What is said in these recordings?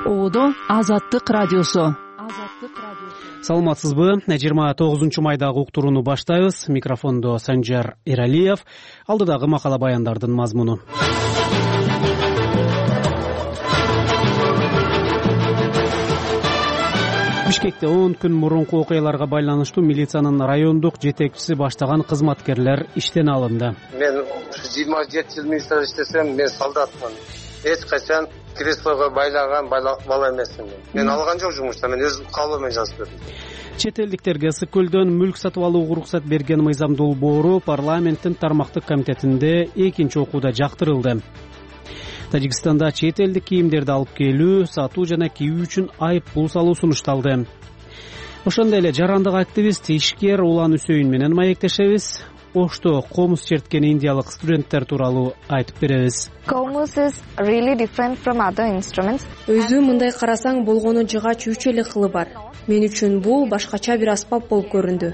Одо Азаттык радиосу. Саламатсызбы? 29 майдагы уктурууну баштайбыз. Микрофондо Санжар Эралиев. Алдыдагы макала баяндардын мазмуну. Бишкекте 10 күн мурунку окуяларга байланыштуу милициянын райондук жетекчиси баштаган кызматкерлер иштен алынды. Мен 27 жыл милицияда иштесем, мен солдатмын. Эч качан креслого байлаган бала эмесмин. Мен алган жок жумушта, мен өз калыбым менен жазып бердим. Чет элдиктерге Ысык көлдөн мүлк сатып алууга уруксат берген мыйзам долбоору парламенттин тармактык комитетинде экинчи окууда жактырылды. Тажикстанда чет элдик кийимдерди алып келүү, сатуу жана кийүү үчүн айып пул салуу сунушталды. Ошондой эле жарандык активист, ишкер Улан Үсөйүн менен маектешебиз. Ошто комуз черткен индиялык студенттер тууралуу айтып беребиз. Өзү мындай карасаң болгону жыгач 3 эле кылы бар. Мен үчүн бул башкача бир аспап болуп көрүндү.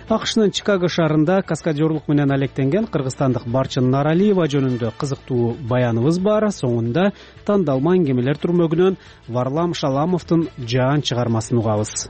АКШнын Чикаго шаарында каскадерлук менен алектенген кыргызстандык Барчын Наралиева жөнүндө кызыктуу баяныбыз бар. Соңунда тандалма аңгемелер түрмөгүнөн Варлам Шаламовдун жаан чыгармасын угабыз.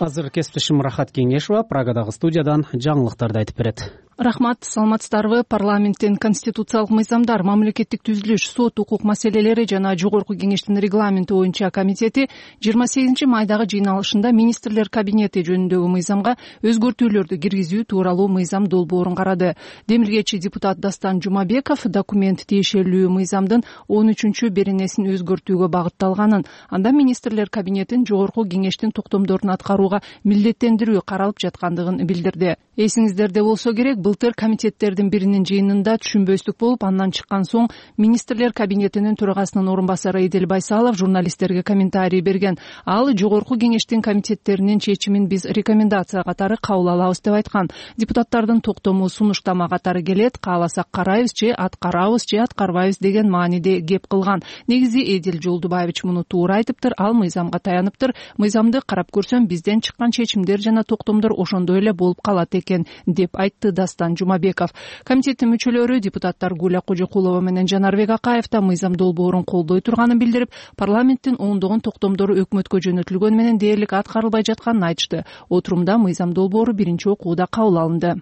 Азыр кесиптешим Рахат Кеңешова Прагадагы студиядан жаңылыктарды айтып берет. Рахмат, саламатсыздарбы? Парламенттин конституциялык мыйзамдар, мамлекеттик түзүлүш, сот укук маселелери жана жогорку кеңештин регламенти боюнча комитети 28 майдагы жыйналышында министрлер кабинети жөнүндөгү мыйзамга өзгөртүүлөрдү киргизүү тууралуу мыйзам долбоорун карады. Демилгечи депутат Дастан Жумабеков документ тиешелүү мыйзамдын 13 беренесин өзгөртүүгө багытталганын, анда министрлер кабинетин жогорку кеңештин токтомдорун аткарууга милдеттендирүү каралып жаткандыгын билдирди. Эсиңиздерде болсо керек, былтыр комитеттердин биринин жыйынында түшүнбөстүк болуп, андан чыккан соң министрлер кабинетинин төрагасынын орун басары Эдил Байсалов журналисттерге комментарий берген. Ал жогорку кеңештин комитеттеринин чечимин биз рекомендация катары кабыл алабыз деп айткан. Депутаттардын токтому сунуштама катары келет, кааласак карайбыз же аткарабыз же аткарбайбыз деген мааниде кеп кылган. Негизи Эдил Жолдубаевич муну туура айтыптыр, ал мыйзамга таяныптыр. Мыйзамды карап көрсөм, бизден чыккан чечимдер жана токтомдор ошондой эле болуп калат экен, деп айтты Дастан Жумабеков. Комитеттин мүчөлөрү депутаттар Гуля Кожокулова менен Жанарбек Акаев да мыйзам долбоорун колдой турганын билдирип, парламенттин ондогон токтомдору өкмөткө жөнөтүлгөнү менен дээрлик аткарылбай жатканын айтышты. Отурумда мыйзам долбоору биринчи окууда кабыл алынды.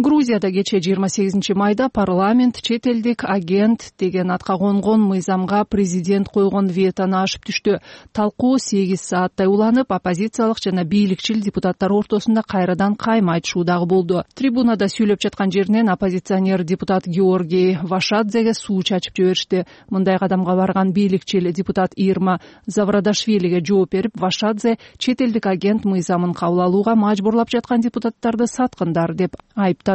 Грузияда кече 28 майда парламент чет элдик агент деген атка конгон мыйзамга президент койгон ветону ашып түштү. Талкуу 8 сааттай уланып, оппозициялык жана бийликчил депутаттар ортосунда кайрадан кайма айтышуу дагы болду. Трибунада сүйлөп жаткан жеринен оппозиционер депутат Георгий Вашадзеге суу чачып жиберишти. Мындай кадамга барган бийликчил депутат Ирма Заврадашвилиге жооп берип, Вашадзе чет элдик агент мыйзамын кабыл алууга мажбурлап жаткан депутаттарды саткындар деп айыптады.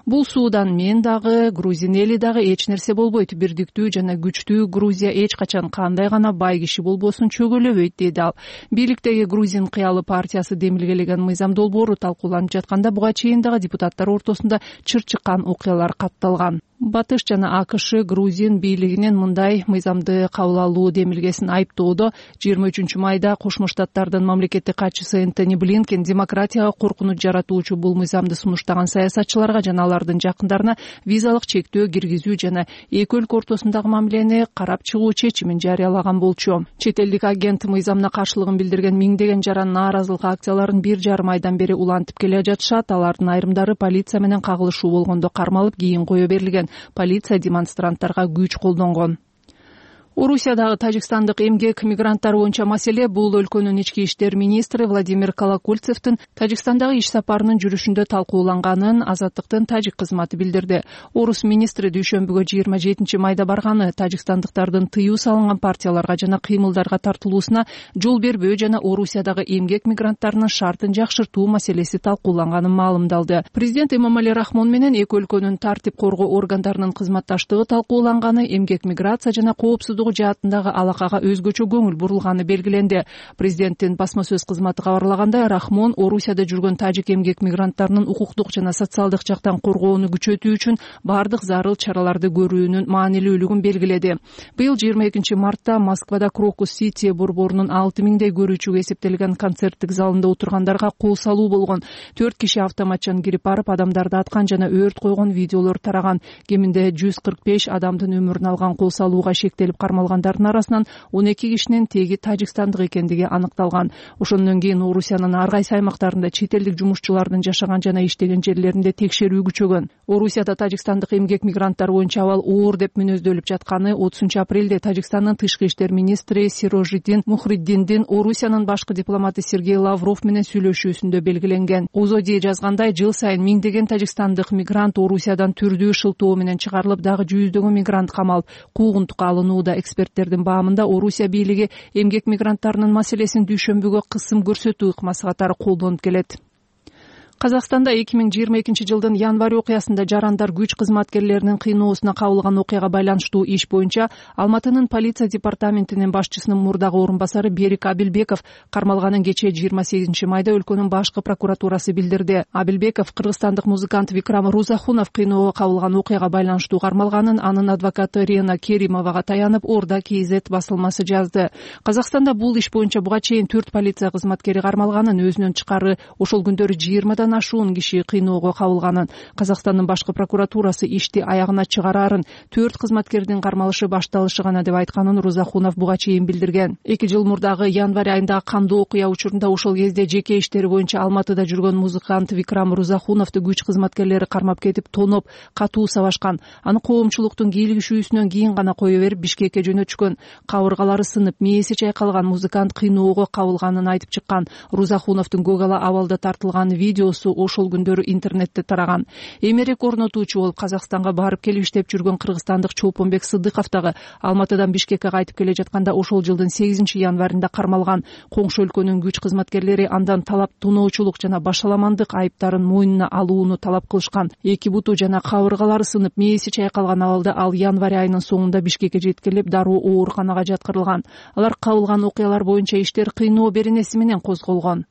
Бул суудан мен дагы, грузин эли дагы эч нерсе болбойт. Бирдиктүү жана күчтүү Грузия эч качан кандай гана бай киши болбосун чөгөлөбөйт, деди ал. Бийликтеги Грузин кыялы партиясы демилгелеген мыйзам долбоору талкууланып жатканда буга чейин дагы депутаттар ортосунда чыр чыккан окуялар катталган. Батыш жана АКШ Грузин бийлигинин мындай мыйзамды кабыл алуу демилгесин айыптоодо 23 майда Кошмо Штаттардын мамлекеттик катчысы Энтони Блинкен демократияга коркунуч жаратуучу бул мыйзамды сунуштаган саясатчыларга жана алардын жакындарына визалык чектөө киргизүү жана эки өлкө ортосундагы мамилени карап чыгуу чечимин жарыялаган болчу. Чет элдик агент мыйзамына каршылыгын билдирген миңдеген жаран нааразылык акцияларын 1,5 айдан бери улантып келе жатышат. Алардын айрымдары полиция менен кагылышуу болгондо кармалып, кийин кое берилген. Полиция демонстранттарга күч колдонгон. Орусиядагы тажикстандык эмгек мигранттар боюнча маселе бул өлкөнүн ички иштер министри Владимир Колокольцевдин Тажикстандагы иш сапарынын жүрүшүндө талкууланганын Азаттыктын тажик кызматы билдирди. Орус министри дүйшөмбүгө 27 майда барганы тажикстандыктардын тыюу салынган партияларга жана кыймылдарга тартылуусуна жол бербөө жана Орусиядагы эмгек мигранттарынын шартын жакшыртуу маселеси талкууланганын маалымдалды. Президент Эмомали Рахмон менен эки өлкөнүн тартип коргоо органдарынын кызматташтыгы талкууланганы, эмгек миграция жана коопсуздук коопсуздугу жаатындагы алакага өзгөчө көңүл бурулганы белгиленди. Президенттин басма сөз кызматы кабарлагандай, Рахмон Орусияда жүргөн тажик эмгек мигранттарынын укуктук жана социалдык жактан коргоону күчөтүү үчүн бардык зарыл чараларды көрүүнүн маанилүүлүгүн белгиледи. Быйыл 22 мартта Москвада Крокус-Сити борборунун 6000дей көрүүчүгө эсептелген концерттик залында отургандарга кол салуу болгон. 4 киши автоматчан кирип барып адамдарды аткан жана өрт койгон видеолор тараган. Кеминде 145 адамдын өмүрүн алган кол салууга шектелип кармалгандардын арасынан 12 кишинин теги тажикстандык экендиги аныкталган. Ошондон кийин Орусиянын ар кайсы аймактарында чет элдик жумушчулардын жашаган жана иштеген жерлеринде текшерүү күчөгөн. Орусияда тажикстандык эмгек мигранттар боюнча абал оор деп мүнөздөлүп жатканы 30-апрелде Тажикстандын тышкы иштер министри Сирожиддин Мухриддиндин Орусиянын башкы дипломаты Сергей Лавров менен сүйлөшүүсүндө белгиленген. Озоди жазгандай, жыл сайын миңдеген тажикстандык мигрант Орусиядан түрдүү шылтоо менен чыгарылып, дагы жүздөгөн мигрант камалып, куугунтукка алынууда. Эксперттердин баамында Орусия бийлиги эмгек мигранттарынын маселесин дүйшөмбүгө кысым көрсөтүү ыкмасы катары колдонуп келет. Казакстанда 2022 жылдын январь окуясында жарандар күч кызматкерлеринин кыйноосуна кабылган окуяга байланыштуу иш боюнча Алматынын полиция департаментинин башчысынын мурдагы орун басары Берик Абилбеков кармалганын кечээ 28 майда өлкөнүн башкы прокуратурасы билдирди. Абилбеков кыргызстандык музыкант Викрам Рузахунов кыйноого кабылган окуяга байланыштуу кармалганын анын адвокаты Рена Керимовага таянып Орда КЗ басылмасы жазды. Казакстанда бул иш боюнча буга чейин 4 полиция кызматкери кармалганын, өзүнөн тышкары ошол күндөрү 20 ашуун киши кыйноого кабылганын, Казакстандын башкы прокуратурасы ишти аягына чыгарарын, 4 кызматкердин кармалышы башталышы гана деп айтканын Рузахунов буга чейин билдирген. 2 жыл мурдагы январь айындагы кандуу окуя учурунда ошол кезде жеке иштери боюнча Алматыда жүргөн музыкант Викрам Рузахуновду күч кызматкерлери кармап кетип, тоноп, катуу сабашкан. Аны коомчулуктун кийлигишүүсүнөн кийин гана кое берип Бишкекке жөнөтүшкөн. Кабыргалары сынып, мээси чайкалган музыкант кыйноого кабылганын айтып чыккан. Рузахуновдун көгала абалда тартылган видеосу ошол күндөрү интернетте тараган. Эмерек орнотуучу болуп Казакстанга барып келип иштеп жүргөн кыргызстандык Чолпонбек Сыдыков дагы Алматыдан Бишкекке кайтып келе жатканда ошол жылдын 8 январында кармалган. Коңшу өлкөнүн күч кызматкерлери андан талап тоноочулук жана башаламандык айыптарын мойнуна алууну талап кылышкан. Эки буту жана кабыргалары сынып, мээси чайкалган абалда ал январь айынын соңунда Бишкекке жеткирилип, дароо ооруканага жаткырылган. Алар кабылган окуялар боюнча иштер кыйноо беренеси менен козголгон.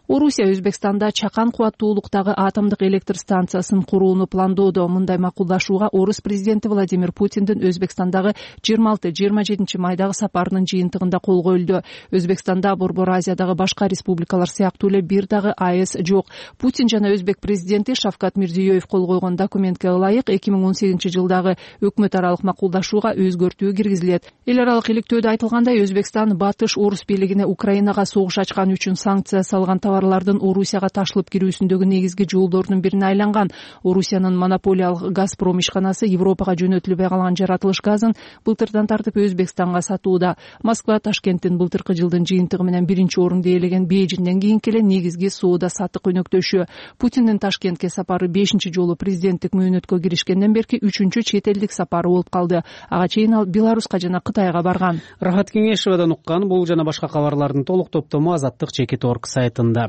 Орусия Өзбекстанда чакан кубаттуулуктагы атомдук электр станциясын курууну пландоодо. Мындай макулдашууга орус президенти Владимир Путиндин Өзбекстандагы 26-27 майдагы сапарынын жыйынтыгында кол коюлду. Өзбекстанда Борбор Азиядагы башка республикалар сыяктуу эле бир дагы АЭС жок. Путин жана Өзбек президенти Шавкат Мирзиёев кол койгон документке ылайык 2018 жылдагы өкмөт аралык макулдашууга өзгөртүү киргизилет. Эл аралык иликтөөдө айтылгандай, Өзбекстан батыш орус бийлигине Украинага согуш ачкан үчүн санкция салган товарлардын Орусияга ташылып кирүүсүндөгү негизги жолдордун бирине айланган. Орусиянын монополиялык Газпром ишканасы Европага жөнөтүлбөй калган жаратылыш газын былтырдан тартып Өзбекстанга сатууда. Москва Ташкенттин былтыркы жылдын жыйынтыгы менен биринчи орунду ээлеген Бейжиңден кийинки эле негизги соода саттык өнөктөшү. Путиндин Ташкентке сапары 5 жолу президенттик мөөнөткө киришкенден берки 3-чү чет элдик сапары болуп калды. Ага чейин ал Беларуска жана Кытайга барган. Рахат Кеңешевадан уккан бул жана башка кабарлардын толук топтому Азаттык Чекит.орг сайтында.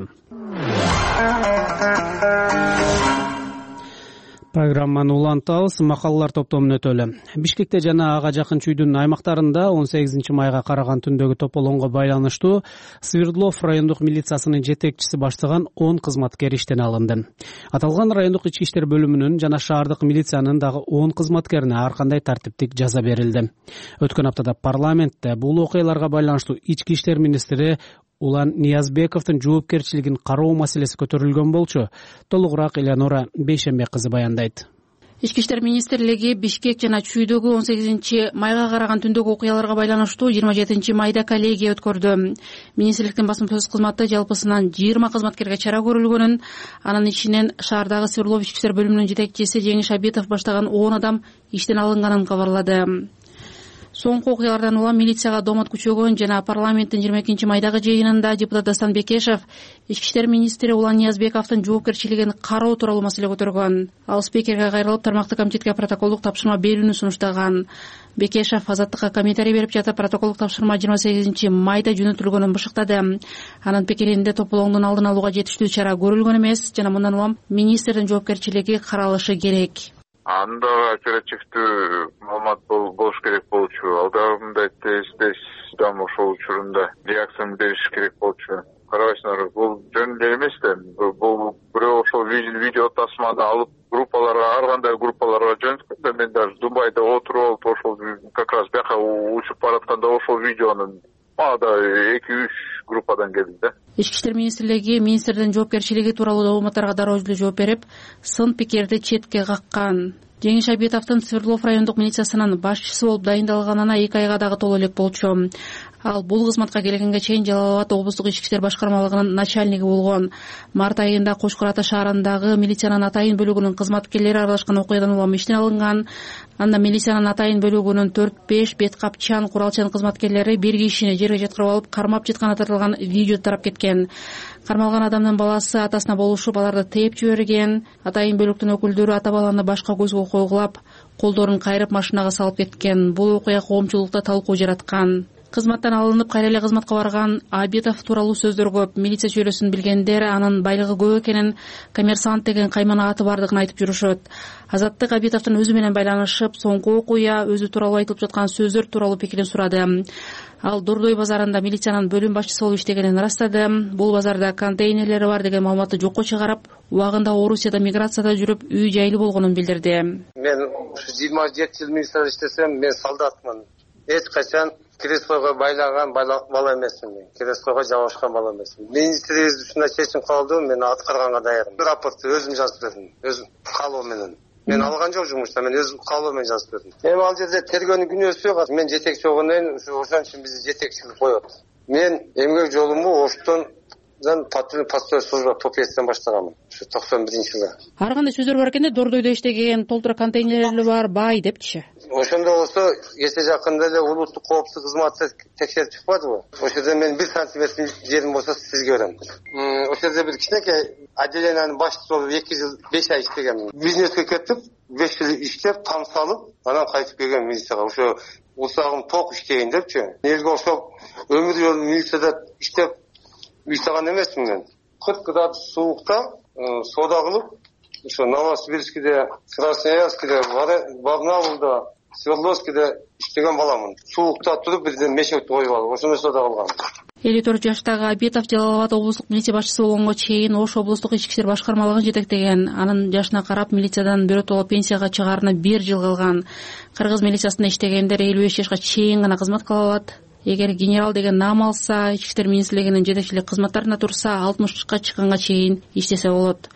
Программаны улантабыз. Макалалар топтомун өтөлү. Бишкекте жана ага жакын чүйдүн аймактарында 18 майга караган түндөгү тополоңго байланыштуу Свердлов райондук милициясынын жетекчиси баштаган 10 кызматкер иштен алынды. Аталган райондук ички иштер бөлүмүнүн жана шаардык милициянын дагы 10 кызматкерине ар кандай тартиптик жаза берилди. Өткөн аптада парламентте бул окуяларга байланыштуу ички иштер министри Улан Ниязбековдун жоопкерчилигин кароо маселеси көтөрүлгөн болчу. Толугураак Элеонора Бейшембек кызы баяндайт. Ички иштер министрлиги Бишкек жана чүйдөгү 18 майга караган түндөгү окуяларга байланыштуу 27 майда коллегия өткөрдү. Министрликтин басма сөз кызматы жалпысынан 20 кызматкерге чара көрүлгөнүн, анын ичинен шаардагы Свердлов ички иштер бөлүмүнүн жетекчиси Жеңиш Абитов баштаган 10 адам иштен алынганын кабарлады. Соңку окуялардан улам милицияга домот күчөгөн жана парламенттин 22 майдагы жыйынында депутат Дастан Бекешев ички иштер министри Улан Ниязбековдун жоопкерчилигин кароо тууралуу маселе көтөргөн. Ал спикерге кайрылып, тармактык комитетке протоколдук тапшырма берүүнү сунуштаган. Бекешев Азаттыкка комментарий берип жатып, протоколдук тапшырма 28 майда жөнөтүлгөнүн бышыктады. Анын пикиринде тополоңдун алдын алууга жетиштүү чара көрүлгөн эмес жана мындан улам министрдин жоопкерчилиги каралышы керек. Анда оперативдүү маалымат болуш керек болчу. Алдагы жөнүндө реакцияны бериш керек болчу. Карабайсыңарбы, бул жөн эле эмес да. Бул бирөө ошол видео тасманы алып группаларга, ар кандай группаларга жөнөткөн да. Мен даже Дубайда отуруп алып ошол как раз бияка учуп баратканда ошол видеонун мага да 2-3 группадан келди да. Ички иштер министрлиги министрдин жоопкерчилиги тууралуу дооматтарга дароо эле жооп берип, сын пикирди четке каккан. Жеңиш Абитовдун Свердлов райондук милициясынын башчысы болуп дайындалганына 2 айга дагы толо элек болчу. Ал бул кызматка келгенге чейин Жалал Абад облустук ички иштер башкармалыгынын начальниги болгон. Март айында Кошкор Ата шаарындагы милициянын Атайын бөлүгүнүн кызматкерлери аралашкан окуядан улам иштен алынган. Анда милициянын Атайын бөлүгүнүн 4-5 бет капчан, куралчан кызматкерлери бир кишини жерге жаткырып алып, кармап жатканы тартылган видео тарап кеткен. Кармалган адамдын баласы атасына болушуп, аларды тээп жиберген. Атайын бөлүктүн өкүлдөрү ата баланы башка көзгө койгулап, колдорун кайрып машинага салып кеткен. Бул окуя коомчулукта талкуу жараткан. Кызматтан алынып кайра эле кызматка барган Абитов тууралуу сөздөр көп. Милиция чөйрөсүн билгендер анын байлыгы көп экенин, коммерсант деген каймана аты бардыгын айтып жүрүшөт. Азаттык Абитовдун өзү менен байланышып, соңку окуя, өзү тууралуу айтылып жаткан сөздөр тууралуу пикирин сурады. Ал Дордой базарында милициянын бөлүм башчысы болуп иштегенин ырастады. Бул базарда контейнерлери бар деген маалыматты жокко чыгарып, убагында Орусияда миграцияда жүрүп, үй жайлуу болгонун билдирди. Мен 27 жыл министр иштесем, мен солдатмын. Эч качан креслого байлаган бала эмесмин мен. Креслого жабышкан бала эмесмин. Министрлигибиз ушундай чечим кабылды, мен аткарганга даярмын. Рапортты өзүм жазып бердим, өзүм каалоо менен. Мен алган жок жумушта, мен өзүм каалоо менен жазып бердим. Эми ал жерде тергөөнүн күнөөсү жок. Мен жетекчи болгондон кийин ошон үчүн бизди жетекчилик коет. Мен эмгек жолумду Оштон патруль служба ТОПСтен баштаганмын. Ушу 91-жылы. Ар кандай сөздөр бар экенде, Дордойдо иштеген, толтура контейнерлери бар, бай депчи. Ошондо болсо, кече жакында эле улуттук коопсуздук кызматы текшерип чыкпадыбы? Ошол жерде мен 1 сантиметр жерим болсо сизге берем. Ошол жерде бир кичинекей отделениянын башчысы болуп 2 жыл 5 ай иштегенмин. Бизнеске кетип, 5 жыл иштеп, там салып, анан кайтып келген милицияга. Ошо усагым ток иштейин депчи. Элге ошо өмүр жолу милицияда иштеп уйсаган эмесмин мен. 40 градус суукта соода кылып, ошо Новосибирскиде, Красноярскиде, Барнаулда, Свердловскиде иштеген баламын. Суукта туруп бирден мешекти коюп алып, ошондой соода кылгам. 54 жаштагы Абитов Жалал Абад облустук милиция башчысы болгонго чейин Ош облустук ички иштер башкармалыгын жетектеген. Анын жашына карап милициядан биротоло пенсияга чыгаарына 1 жыл калган. Кыргыз милициясында иштегендер 55 жашка чейин гана кызмат кыла алат. Эгер генерал деген наам алса, ички иштер министрлигинин жетекчилик кызматтарына турса, 60-ка чыкканга чейин иштесе болот.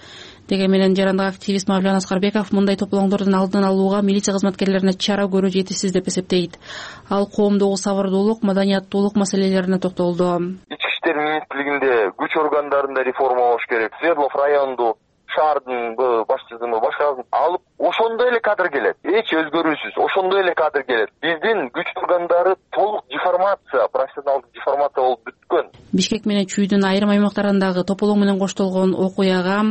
Деген менен жарандык активист Мавлан Аскарбеков мындай тополоңдордун алдын алууга милиция кызматкерлерине чара көрүү жетишсиз деп эсептейт. Ал коомдогу сабырдуулук, маданияттуулук маселелерине токтолду. Ички иштер министрлигинде күч органдарында реформалаш керек. Свердлов райондук шаардын башчысын алып, ошондой эле кадр келет. Эч өзгөрүүсүз, ошондой эле кадр келет. Биздин күч органдары толук деформация, профессионалдык деформация болуп бүткөн. Бишкек менен Чүйдүн айрым аймактарындагы тополоң менен коштолгон окуяга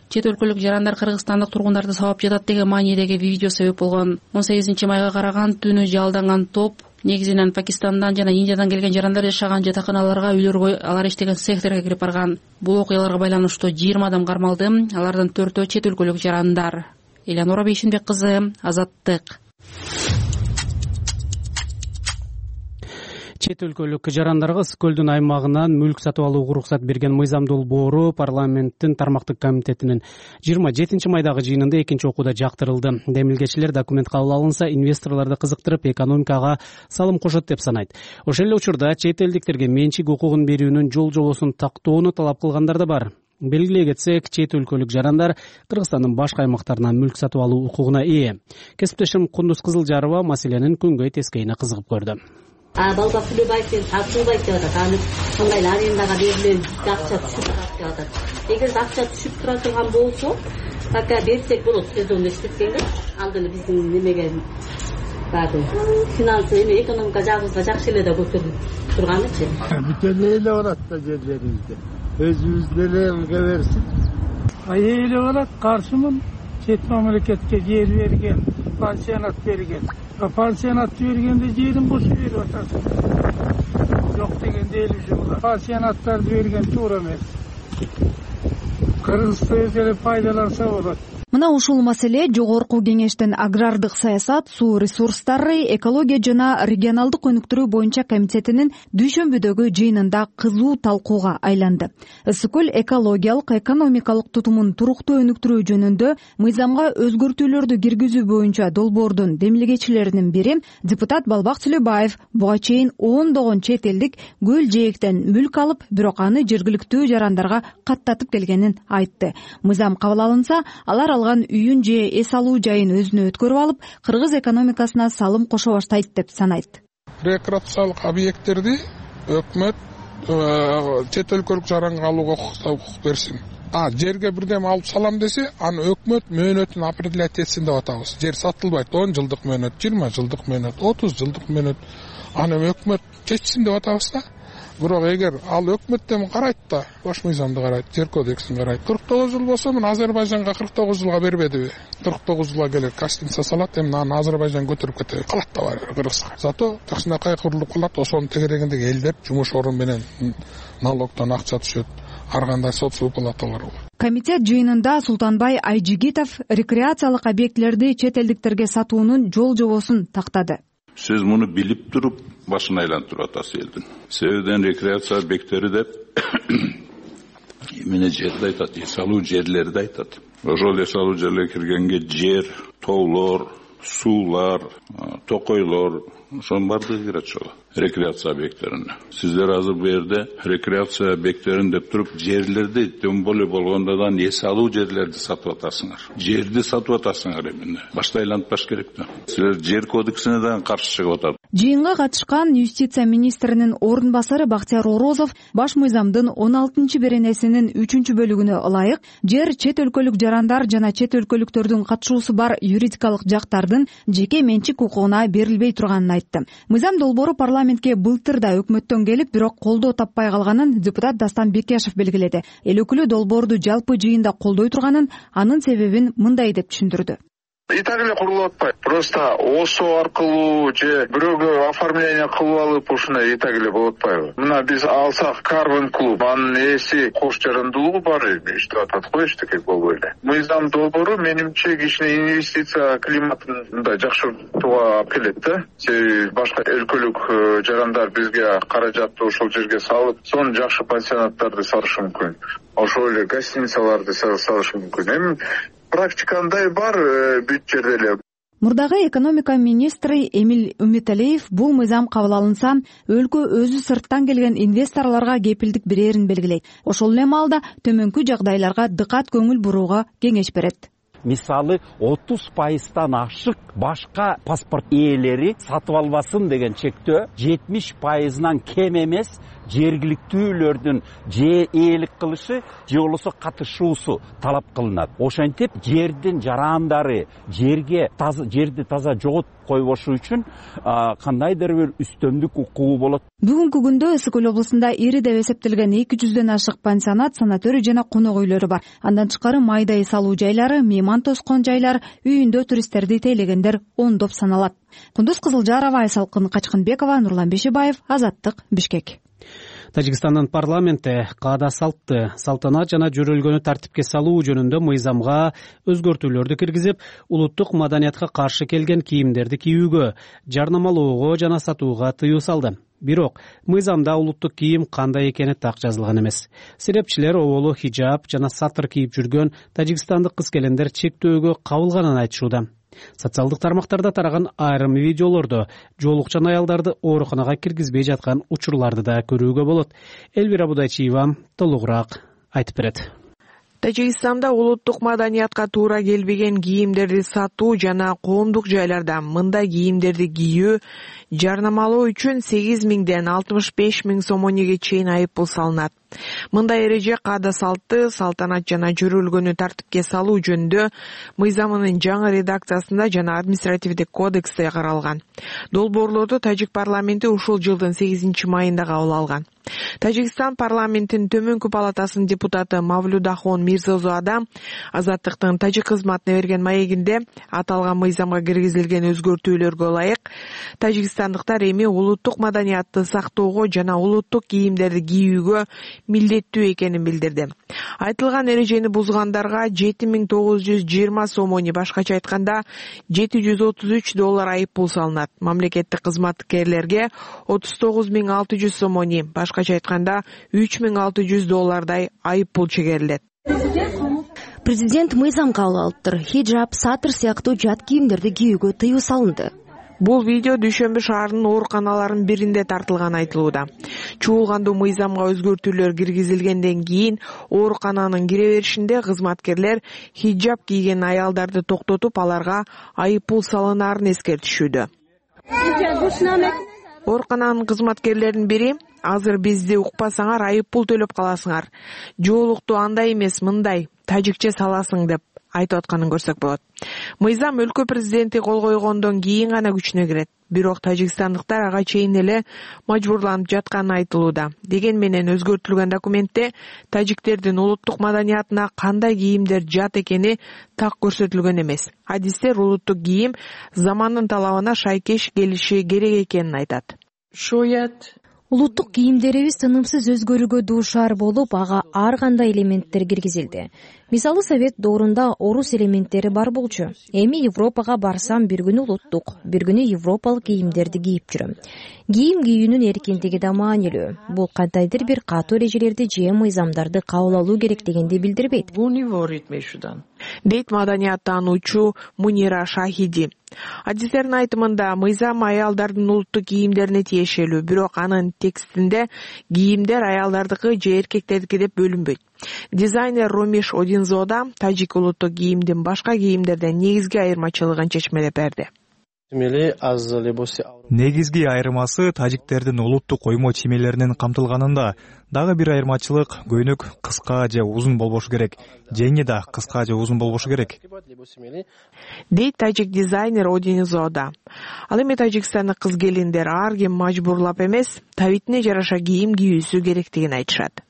чет өлкөлүк жарандар кыргызстандык тургундарды сабап жатат деген маанидеги видео себеп болгон. 18-майга караган түнү жалданган топ негизинен Пакистандан жана Индиядан келген жарандар жашаган жатаканаларга, үйлөргө, алар иштеген секторго кирип барган. Бул окуяларга байланыштуу 20 адам кармалды. Алардын 4-өө чет өлкөлүк жарандар. Элянора Бейшинбек кызы, Азаттык. Чет өлкөлүк жарандарга Ысык көлдүн аймагынан мүлк сатып алууга уруксат берген мыйзам долбоору парламенттин тармактык комитетинин 27-майдагы жыйынында экинчи окууда жактырылды. Демилгечилер документ кабыл алынса, инвесторлорду кызыктырып, экономикага салым кошот деп санайт. Ошол эле учурда чет элдиктерге менчик укугун берүүнүн жол-жобосун тактоону талап кылгандар да бар. Белгилей кетсек, чет өлкөлүк жарандар Кыргызстандын башка аймактарынан мүлк сатып алуу укугуна ээ. Кесиптешим Кундуз Кызылжарова маселенин күнгөй тескейине кызыгып көрдү. Балба Сүлөбаевден тартылбайт деп атат. Аны кандай арендага берилген акча түшүп турат деп атат. Эгер акча түшүп тура турган болсо, пока берсек болот, сезонду иштеткенге. Ал деле биздин немеге барды. Финансы эми экономика жагыбызга жакшы эле да көтөрүлүп турганычы. Бүтө эле барат да жерлерибизде. Өзүбүз деле ылга берсин. Эле барат, каршымын. Чет мамлекетке жер берген, пансионат берген. Пансионат бергенде жерин бос берип атасың. Жок дегенде эле жумла. Пансионаттарды берген туура эмес. Кыргызды өз эле пайдаланса болот. Мына ушул маселе жогорку кеңештин агрардык саясат, суу ресурстары, экология жана регионалдык өнүктүрүү боюнча комитетинин дүйшөмбүдөгү жыйынында кызуу талкууга айланды. ысык-көл экологиялык, экономикалык тутумун туруктуу өнүктүрүү жөнүндө мыйзамга өзгөртүүлөрдү киргизүү боюнча долбоордун демилгечилеринин бири депутат Балбак Сүлөбаев буга чейин ондогон чет элдик көл жээктен мүлк алып, бирок аны жергиликтүү жарандарга каттатып келгенин айтты. Мыйзам кабыл алынса, алар алган үйүн же эс алуу жайын өзүнө өткөрүп алып, кыргыз экономикасына салым кошо баштайт деп санайт. Рекреациялык объекттерди өкмөт чет өлкөлүк жаранга алууга укук берсин. Жерге бирдеме алып салам десе, аны өкмөт мөөнөтүн определять этсин деп атабыз. Жер сатылбайт, 10 жылдык мөөнөт, 20 жылдык мөөнөт, 30 жылдык мөөнөт. Аны өкмөт чечсин деп атабыз да. Бирок эгер ал өкмөттөн карайт да, баш мыйзамды карайт, жер кодексин карайт. 49 жыл болсо, мына Азербайжанга 49 жылга бербедиби? 49 жылга келет, гостиница салат, эми аны Азербайжан көтөрүп кетеби? Калат да бар Кыргызга. Зато кичинекей курулуп калат, ошонун тегерегиндеги элдер жумуш орун менен налогдон акча түшөт. Ар кандай социалдык палаталар бар. Комитет жыйынында Султанбай Айжигитов рекреациялык объектилерди чет элдиктерге сатуунун жол жобосун тактады. Сиз муну билип туруп башын айлантырып атасыз элдин. Себебен рекреация объекттери деп эмне жерди айтат, эс алуу жерлерди айтат. Ошол эс алуу жерлерге киргенге жер, тоолор, суулар, токойлор, ошонун баардыгы кирет ошол рекреация объекттерине. Сиздер азыр бу жерде рекреация объекттерин деп туруп жерлерди тем более болгондо да эс алуу жерлерди сатып атасыңар. Жерди сатып атасыңар эмне? Башта айлантпаш керек да. Силер жер кодексине да каршы чыгып атат. Жыйынга катышкан юстиция министринин орун басары Бактияр Орозов баш мыйзамдын 16-беренесинин 3-бөлүгүнө ылайык жер чет өлкөлүк жарандар жана чет өлкөлүктөрдүн катышуусу бар юридикалык жактардын жеке менчик укугуна берилбей турганын айтты. Мыйзам долбоору парламентке былтыр да өкмөттөн келип, бирок колдоо таппай калганын депутат Дастан Бекешев белгиледи. Эл өкүлү долбоорду жалпы жыйында колдой турганын, анын себебин мындай деп түшүндүрдү. И так эле курулуп атпайт. Просто ОСО аркылуу же бирөөгө оформление кылып алып ушундай и так эле болуп атпайбы? Мына биз алсак Carbon клуб, анын ээси кош жарандуулугу бар иштеп атат го, эчтеке болбой эле. Мыйзам долбоору менимче кичине инвестиция климатын мындай жакшыртууга алып келет да. Себеби башка өлкөлүк жарандар бизге каражатты ошол жерге салып, сонун жакшы пансионаттарды салышы мүмкүн. Ошол эле гостиницаларды салышы мүмкүн. Эми практикандай бар бүт жерде эле. Мурдагы экономика министри Эмиль Үмүталиев бул мыйзам кабыл алынса, өлкө өзү сырттан келген инвесторлорго кепилдик берерин белгилейт. Ошол эле маалда төмөнкү жагдайларга дыкат көңүл бурууга кеңеш берет. Мисалы 30%-тан ашык башка паспорт ээлери сатып албасын деген чектөө 70%-нан кем эмес жергиликтүүлөрдүн же ээлик кылышы же болбосо катышуусу талап кылынат. Ошентип жердин жарандары жерди таза жоготуп койбошу үчүн кандайдыр бир үстөмдүк укугу болот. Бүгүнкү күндө Ысык-Көл облусунда ири деп эсептелген 200дөн ашык пансионат, санаторий жана конок үйлөрү бар. Андан тышкары майда эс алуу жайлары, мейман тоскон жайлар, үйүндө туристтерди тейлегендер ондоп саналат. Кундуз Кызылжарова, Айсалкын Качкынбекова, Нурлан Бешибаев, Азаттык, Бишкек. Тажикстандын парламенти каада салтты, салтанат жана жөрөлгөнү тартипке салуу жөнүндө мыйзамга өзгөртүүлөрдү киргизип, улуттук маданиятка каршы келген кийимдерди кийүүгө, жарнамалоого жана сатууга тыюу салды. Бирок мыйзамда улуттук кийим кандай экени так жазылган эмес. Серепчилер оболу хижаб жана сатыр кийип жүргөн тажикстандык кыз-келиндер чектөөгө кабылганын айтышууда. Социалдык тармактарда тараган айрым видеолордо жоолукчан аялдарды ооруканага киргизбей жаткан учурларды да көрүүгө болот. Элвира Будайчиева толугураак айтып берет. Тажикстанда улуттук маданиятка туура келбеген кийимдерди сатуу жана коомдук жайларда мындай кийимдерди кийүү жарнамалоо үчүн 8.000ден 65.000 сомонеге чейин айыппул салынат. Мындай эреже каада салтты, салтанат жана жөрөлгөнү тартипке салуу жөнүндө мыйзамынын жаңы редакциясында жана административдик кодексте каралган. Долбоорлорду Тажик парламенти ушул жылдын 8 майында кабыл алган. Тажикстан парламентинин төмөнкү палатасынын депутаты Мавлюдахон Мирзозода Азаттыктын тажик кызматына берген маегинде аталган мыйзамга киргизилген өзгөртүүлөргө ылайык тажикстандыктар эми улуттук маданиятты сактоого жана улуттук кийимдерди кийүүгө милдеттүү экенин билдирди. Айтылган эрежени бузгандарга 7920 сомони, башкача айтканда $733 айып пул салынат. Мамлекеттик кызматкерлерге 39600 сомони, башкача айтканда $3600 айып пул чегерилет. Президент мыйзам кабыл алыптыр. Хиджаб, сатыр сыяктуу жат кийимдерди кийүүгө тыюу салынды. Бул видео Дүйшөмбү шаарынын ооруканаларынын биринде тартылган айтылууда. Чуулгандуу мыйзамга өзгөртүүлөр киргизилгенден кийин оорукананын кире беришинде кызматкерлер хиджаб кийген аялдарды токтотуп, аларга айып пул салынаарын эскертишүүдө. Оорукананын кызматкерлеринин бири: азыр бизди укпасаңар айып пул төлөп каласыңар. Жоолукту андай эмес, мындай тажикче саласың деп айтып атканын көрсөк болот. Мыйзам өлкө президенти кол койгондон кийин гана күчүнө кирет. Бирок тажикстандыктар ага чейин эле мажбурланып жатканы айтылууда. Деген менен өзгөртүлгөн документте тажиктердин улуттук маданиятына кандай кийимдер жат экени так көрсөтүлгөн эмес. Адистер улуттук кийим замандын талабына шайкеш келиши керек экенин айтат. Улуттук кийимдерибиз тынымсыз өзгөрүүгө дуушар болуп, ага ар кандай элементтер киргизилди. Мисалы Совет доорунда орус элементтери бар болчу. Эми Европага барсам бир күнү улуттук, бир күнү европалык кийимдерди кийип жүрөм. Кийим кийүүнүн эркиндиги да маанилүү. Бул кандайдыр бир катуу эрежелерди же мыйзамдарды кабыл алуу керек дегенди билдирбейт. Дейт маданияттануучу Мунира Шахиди. Адистердин айтымында мыйзам аялдардын улуттук кийимдерине тиешелүү, бирок анын текстинде кийимдер аялдардыкы же эркектердики деп бөлүнбөйт. Дизайнер Ромиш Одинзода тажик улуттук кийимдин башка кийимдерден негизги айырмачылыгын чечмелеп берди. Негизги айырмасы тажиктердин улуттук коймо чиймелеринин камтылганында. Дагы бир айырмачылык көйнөк кыска же узун болбошу керек. Жеңи да кыска же узун болбошу керек. Дейт тажик дизайнер Одинзода. Ал эми Тажикстандык кыз келиндер ар ким мажбурлап эмес, табитине жараша кийим кийүүсү керектигин айтышат.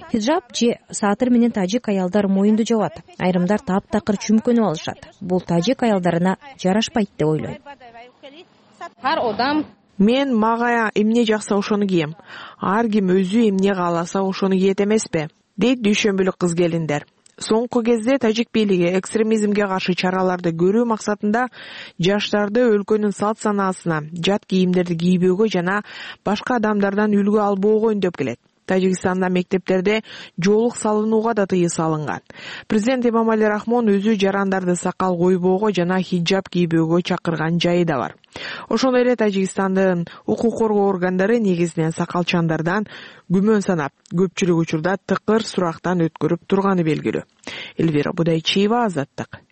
Хиджаб же сатыр менен тажик аялдар моюнду жабат. Айрымдар таптакыр чүмкөнүп алышат. Бул тажик аялдарына жарашпайт деп ойлойм. Мен мага эмне жакса ошону кийем. Ар ким өзү эмне кааласа ошону кийет эмеспи? Дейт дүйшөмбүлүк кыз келиндер. Соңку кезде тажик бийлиги экстремизмге каршы чараларды көрүү максатында жаштарды өлкөнүн салт санаасына, жат кийимдерди кийбөөгө жана башка адамдардан үлгү албоого үндөп келет. Тажикстанда мектептерде жоолук салынууга да тыюу салынган. Президент Эмомали Рахмон өзү жарандарды сакал койбоого жана хиджаб кийбөөгө чакырган жайы да бар. Ошондой эле Тажикстандын укук коргоо органдары негизинен сакалчандардан күмөн санап, көпчүлүк учурда тыкыр сурактан өткөрүп турганы белгилүү. Элвира Будайчиева, Азаттык.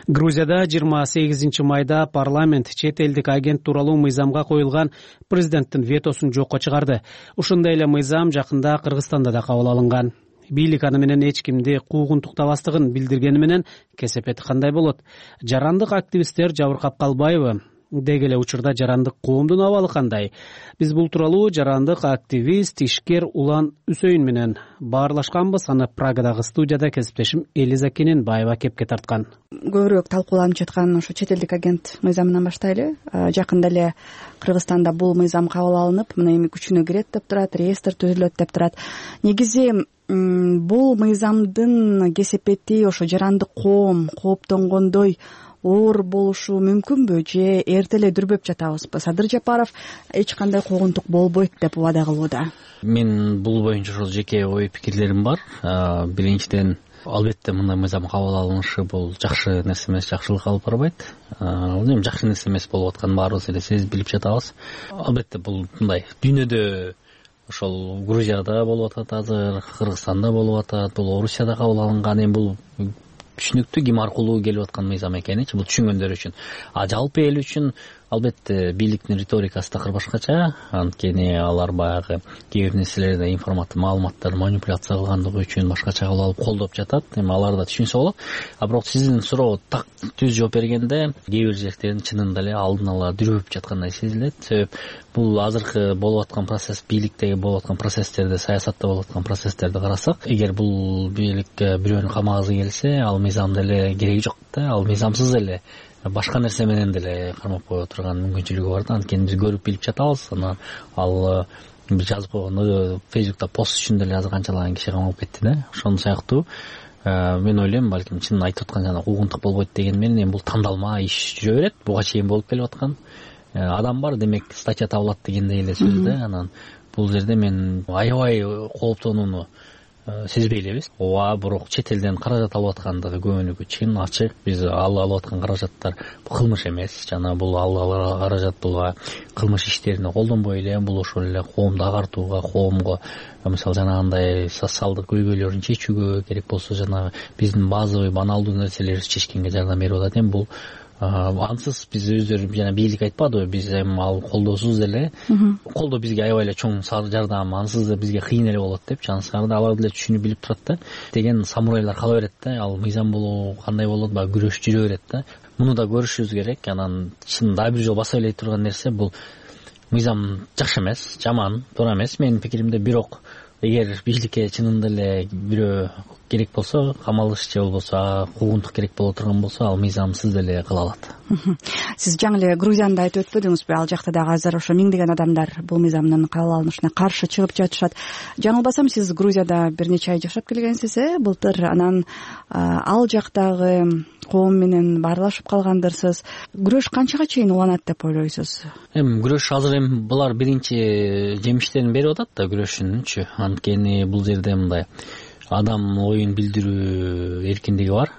Грузияда 28 майда парламент чет элдик агент тууралуу мыйзамга коюлган президенттин ветосун жокко чыгарды. Ушундай эле мыйзам жакында Кыргызстанда да кабыл алынган. Бийлик аны менен эч кимди куугунтуктабастыгын билдиргени менен кесепети кандай болот? Жарандык активисттер жабыркап калбайбы? Деги эле учурда жарандык коомдун абалы кандай? Биз бул тууралуу жарандык активист, ишкер Улан Үсөйүн менен баарлашканбыз. Аны Прагадагы студияда кесиптешим Элиза Кененбаева кепке тарткан. Көбүрөөк талкууланып жаткан ошо чет элдик агент мыйзамынан баштайлы. Жакында эле Кыргызстанда бул мыйзам кабыл алынып, мына эми күчүнө кирет деп турат, реестр түзүлөт деп турат. Негизи бул мыйзамдын кесепети ошо жарандык коом кооптонгондой оор болушу мүмкүнбү же эрте эле дүрбөп жатабызбы? Садыр Жапаров эч кандай куугунтук болбойт деп убада кылууда. Мен бул боюнча ошол жеке ой пикирлерим бар. Биринчиден, албетте мындай мыйзам кабыл алынышы бул жакшы нерсе эмес, жакшылык алып барбайт. Бул эми жакшы нерсе эмес болуп атканын баарыбыз эле сезип билип жатабыз. Албетте бул мындай дүйнөдө ошол Грузияда болуп атат азыр, Кыргызстанда болуп атат, бул Орусияда кабыл алынган. Эми бул түшүнүктүү ким аркылуу келип аткан мыйзам экеничи бул түшүнгөндөр үчүн. Жалпы эл үчүн албетте бийликтин риторикасы такыр башкача, анткени алар баягы кээ бир нерселерди маалыматтарды манипуляция кылгандыгы үчүн башкача кылып алып колдоп жатат. Эми алар да түшүнсө болот. А бирок сиздин суроого так түз жооп бергенде кээ бир жерден чынында эле алдын ала дүрөп жаткандай сезилет. Себеп бул азыркы болуп аткан процесс, бийликтеги болуп аткан процесстерди, саясатта болуп аткан процесстерди карасак, эгер бул бийликке бирөөнүн камагысы келсе, ал мыйзам деле кереги жок да. Ал мыйзамсыз эле башка нерсе менен деле кармап кое турган мүмкүнчүлүгү бар да. Анткени биз көрүп билип жатабыз. Анан ал жазып койгон Facebook'та пост үчүн деле азыр канчалаган киши камалып кетти да. Ошон сыяктуу мен ойлойм, балким чын айтып аткан жана куугунтук болбойт деген менен эми бул тандалма иш жүрө берет. Буга чейин болуп келип аткан адам бар, демек статья табылат дегендей эле сөз да. Анан бул жерде мен аябай кооптонууну сезбей элебиз. Ооба, бирок чет элден каражат алып аткандыгы көбүнүкү чын, ачык. Биз алып аткан каражаттар кылмыш эмес. Жана бул алган каражат бул кылмыш иштерине колдонбой эле, бул ошол эле коомду агартууга, коомго мисалы жанагындай социалдык көйгөйлөрүн чечүүгө, керек болсо жанагы биздин базовый баналдуу нерселерди чечкенге жардам берип атат. Эми бул ансыз биз өздөрү жана бийлик айтпадыбы, биз эми ал колдоосуз эле, колдоо бизге аябай эле чоң жардам, ансыз да бизге кыйын эле болот деп, жанысында алар деле түшүнүп билип турат да. Деген самурайлар кала берет да, ал мыйзам болуу кандай болот, баягы күрөш жүрө берет да. Муну да көрүшүбүз керек. Анан чын дагы бир жолу баса элей турган нерсе, бул мыйзам жакшы эмес, жаман, туура эмес менин пикиримде. Бирок эгер бийликке чынында эле бирөө керек болсо, камалыш же болбосо куугунтук керек боло турган болсо, ал мыйзамсыз деле кыла алат. Сиз жаңы эле Грузияны да айтып өтпөдүңүзбү? Ал жакта дагы азыр ошо миңдеген адамдар бул мыйзамдын кабыл алынышына каршы чыгып жатышат. Жаңылбасам, сиз Грузияда бир нече ай жашап келгенсиз, былтыр. Анан ал жактагы коом менен баарлашып калгандырсыз. Күрөш канчага чейин уланат деп ойлойсуз? Эми күрөш азыр эми булар биринчи жемиштерин берип атат да күрөшүнүнчү. Анткени бул жерде мындай адам оюн билдирүү эркиндиги бар.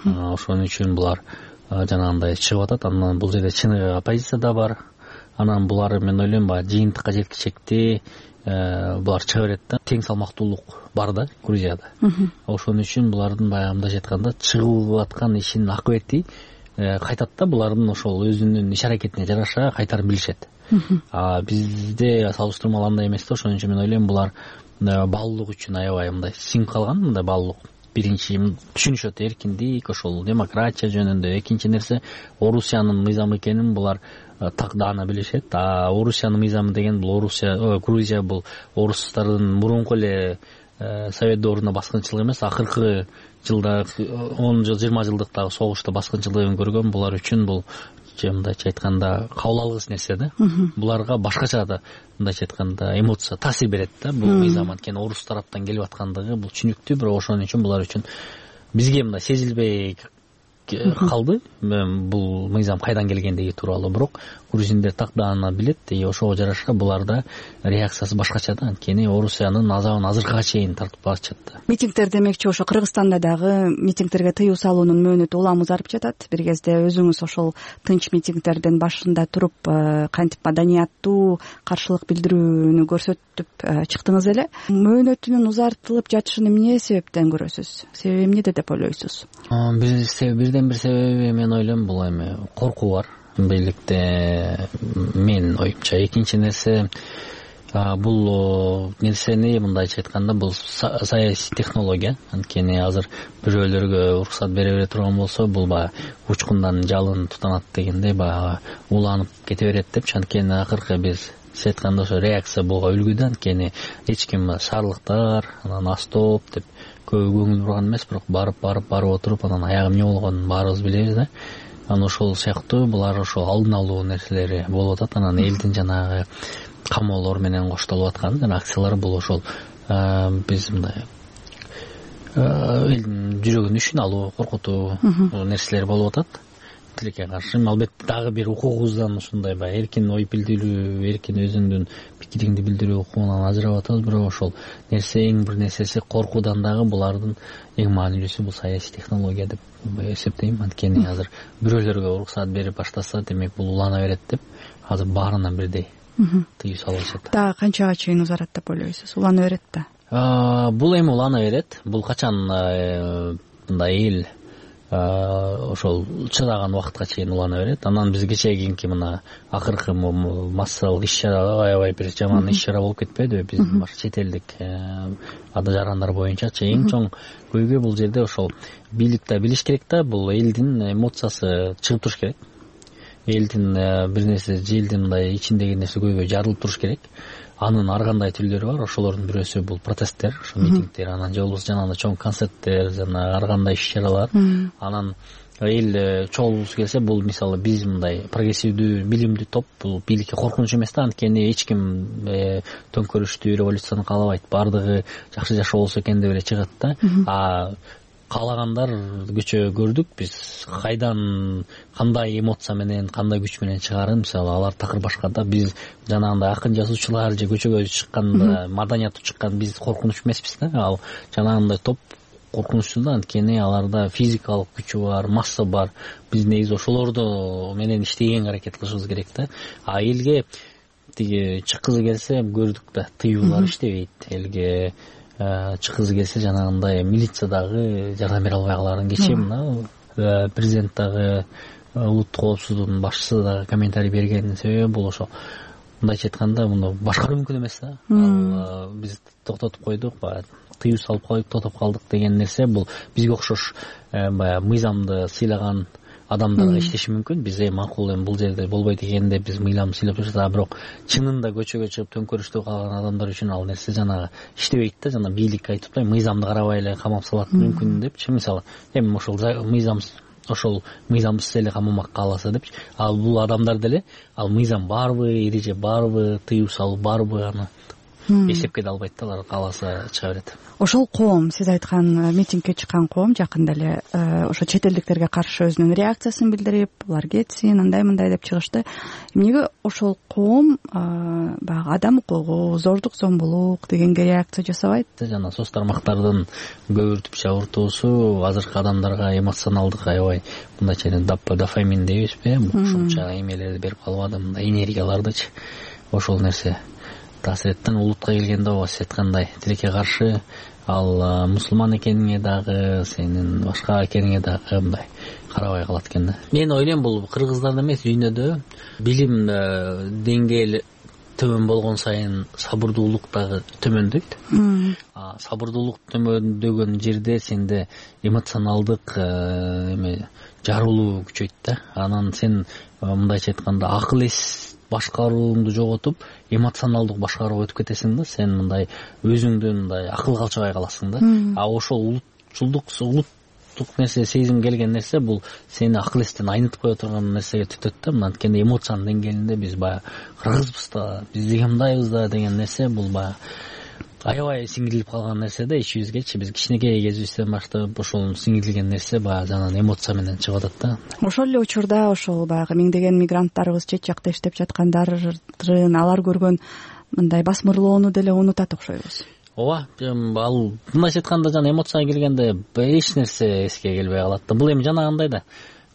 Ошон үчүн булар жанагындай чыгып атат. Анан бул жерде чыныгы оппозиция да бар. Анан булар мен ойлойм баягы жыйынтыкка жеткичекти булар чыга берет да. Тең салмактуулук бар да Грузияда. Ошон үчүн булардын баягы мындайча айтканда чыгып аткан ишинин акыбети кайтат да. Булардын ошол өзүнүн иш аракетине жараша кайтарып билишет. Бизде салыштырмалуу андай эмес да. Ошон үчүн мен ойлойм булар баалуулук үчүн аябай мындай сиңип калган. Мындай баалуулук биринчи түшүнүшөт, эркиндик, ошол демократия жөнүндө. Экинчи нерсе, Орусиянын мыйзамы экенин булар так даана билишет. Орусиянын мыйзамы деген бул Грузия бул орустардын мурунку эле совет доорунда баскынчылык эмес, акыркы жылда 10 жыл 20 жылдыктагы согушта баскынчылыгын көргөн. Булар үчүн бул мындайча айтканда кабыл алгыс нерсе да. Буларга башкача да мындайча айтканда эмоция, таасир берет да бул мыйзам. Анткени орус тараптан келип аткандыгы бул түшүнүктүү, бирок ошон үчүн булар үчүн бизге мындай сезилбей калды бул мыйзам кайдан келгендиги тууралуу. Бирок грузиндер так даана билет, ошого жараша буларда реакциясы башкача да. Анткени Орусиянын азабын азыркыга чейин тартып барышат да. Митингдер демекчи ошо Кыргызстанда дагы митингдерге тыюу салуунун мөөнөтү улам узарып жатат. Бир кезде өзүңүз ошол тынч митингдердин башында туруп кантип маданияттуу каршылык билдирүүнү көрсөтүп чыктыңыз эле. Мөөнөтүнүн узартылып жатышын эмне себептен көрөсүз? Себеби эмнеде деп ойлойсуз? Бирден бир себеби мен ойлойм бул эми коркуу бар бийликте, менин оюмча. Экинчи нерсе, бул нерсени мындайча айтканда бул саясий технология. Анткени азыр бирөөлөргө уруксат бере турган болсо, бул баягы учкундан жалын тутанат дегендей баягы уланып кете берет депчи. Анткени акыркы биз сиз айткандай ошо реакция буга үлгүдө. Анткени эч ким шаарлыктар анан астоп деп көп көңүл бурган эмес, бирок барып отуруп анан аягы эмне болгонун баарыбыз билебиз да. Анан ошол сыяктуу булар ошол алдын алуу нерселери болуп атат. Анан элдин жанагы камоолор менен коштолуп аткан акциялар бул ошол биз мындай элдин жүрөгүн ишин алуу, коркутуу нерселер болуп атат тилекке каршы. Албетте дагы бир укугубуздан ушундай баягы эркин ой билдирүү, эркин өзүңдүн пикириңди билдирүү укугунан ажырап атабыз. Бирок ошол нерсе, эң бир нерсеси коркуудан дагы булардын эң маанилүүсү бул саясий технология деп эсептейм. Анткени азыр бирөөлөргө уруксат берип баштаса, демек бул улана берет деп азыр баарына бирдей тыюу салып атышат. Дагы канчага чейин узарат деп ойлойсуз? Улана берет да? Бул эми улана берет. Бул качан мындай эл ошол чыдаган убакытка чейин улана берет. Анан биз кечээки мына акыркы массалык иш чара аябай бир жаман иш чара болуп кетпедиби биздин башка чет элдик жарандар боюнчачы. Эң чоң көйгөй бул жерде ошол бийлик да билиш керек да, бул элдин эмоциясы чыгып туруш керек. Элдин бир нерсе желдин мындай ичиндеги нерсе көйгөй жарылып туруш керек. Анын ар кандай түрлөрү бар. Ошолордун бирөөсү бул протесттер, ошо митингдер, анан же болбосо жанагындай чоң концерттер, жана ар кандай иш чаралар. Анан эл чогулгусу келсе, бул мисалы биз мындай прогрессивдүү, билимдүү топ, бул бийликке коркунуч эмес да. Анткени эч ким төңкөрүштүү революцияны каалабайт. Бардыгы жакшы жашоо болсо экен деп эле чыгат да. Каалагандар көчө көрдүк биз, кайдан кандай эмоция менен, кандай күч менен чыгарын. Мисалы алар такыр башка да. Биз жанагындай акын жазуучулар же көчөгө чыкканда, маданияттуу чыккан биз коркунуч эмеспиз да. Ал жанагындай топ коркунучсуз да, анткени аларда физикалык күчү бар, масса бар. Биз негизи ошолорду менен иштегенге аракет кылышыбыз керек да. Элге тиги чыккызы келсе көрдүк да, тыюулар иштебейт. Элге чыккызы келсе жанагындай милициядагы жардам бере албай каларын. Кечээ мына президент дагы, улуттук коопсуздуктун башчысы дагы комментарий берген себеби бул ошо. Мындайча айтканда, муну башкаруу мүмкүн эмес да. Биз токтотуп койдук, тыюу салып коюп тотоп калдык деген нерсе бул бизге окшош баягы мыйзамды сыйлаган адамдарга иштеши мүмкүн. Биз макул бул жерде болбойт экен деп биз мыйзамды сыйлап жүрсөк, бирок чынында көчөгө чыгып төңкөрүштө калган адамдар үчүн ал нерсе жанагы иштебейт да. Жана бийлик айтып атпайбы, мыйзамды карабай эле камап салат мүмкүн депчи. Мисалы эми ошол мыйзамсыз эле камамак кааласа депчи. Ал бул адамдар деле ал мыйзам барбы, эреже барбы, тыюу салуу барбы, аны эсепке да албайт да. Алар кааласа чыга берет. Ошол коом, сиз айткан митингге чыккан коом жакында эле ошо чет элдиктерге каршы өзүнүн реакциясын билдирип, булар кетсин, андай мындай деп чыгышты. Эмнеге ошол коом баягы адам укугу, зордук зомбулук дегенге реакция жасабайт? Жана соц тармактардын көбүртүп жабыртуусу азыркы адамдарга эмоционалдык аябай мындайча дофамин дейбизби, ушунча эмелерди берип калбады, мындай энергиялардычы. Ошол нерсе таасиреттен улутка келгенде сиз айткандай тилекке каршы, ал мусулман экениңе дагы, сенин башка экениңе дагы мындай карабай калат экен да. Мен ойлойм бул кыргыздарда эмес, дүйнөдө билим деңгээли төмөн болгон сайын сабырдуулук дагы төмөндөйт. Сабырдуулук төмөндөгөн жерде сенде эмоционалдык жарылуу күчөйт да. Анан сен мындайча айтканда акыл эс башкарууңду жоготуп, эмоционалдык башкарууга өтүп кетесиң да. Сен мындай өзүңдү мындай акыл калчабай каласың да. Ошол улуттук нерсе, сезим келген нерсе бул сени акыл эстен айнытып кое турган нерсеге түтөт да. Мына анткени эмоциянын деңгээлинде биз баягы кыргызбыз да, биз деген мындайбыз да деген нерсе бул баягы аябай сиңирилип калган нерсе да ичибизгечи. Биз кичинекей кезибизден баштап ошол сиңирилген нерсе баягы жанагы эмоция менен чыгып атат да. Ошол эле учурда ошол баягы миңдеген мигранттарыбыз чет жакта иштеп жаткандарын, алар көргөн мындай басмырлоону деле унутат окшойбуз. Ооба, ал мындайча айтканда жана эмоцияга келгенде эч нерсе эске келбей калат да. Бул эми жанагындай да.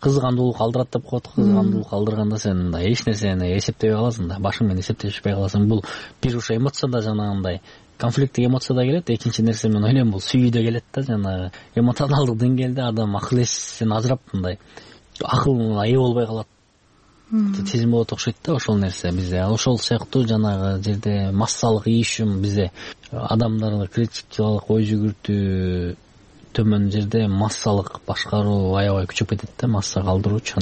Кызгандуулук алдырат деп коет. Кызгандуулук алдырганда сен мындай эч нерсени эсептебей каласың да. Башың менен эсептешпей каласың. Бул бир ошо эмоцияда жанагындай конфликттик эмоцияда келет. Экинчи нерсе мен ойлойм бул сүйүүдө келет да. Жана эмоционалдык деңгээлде адам акыл эсин ажырап мындай акылына ээ болбой калат. Сезим болот окшойт да ошол нерсе бизде. Ошол сыяктуу жанагы жерде массалык ийишим бизде адамдарды критикалык ой жүгүртүү төмөн жерде массалык башкаруу аябай күчөп кетет да, масса калтыруучу.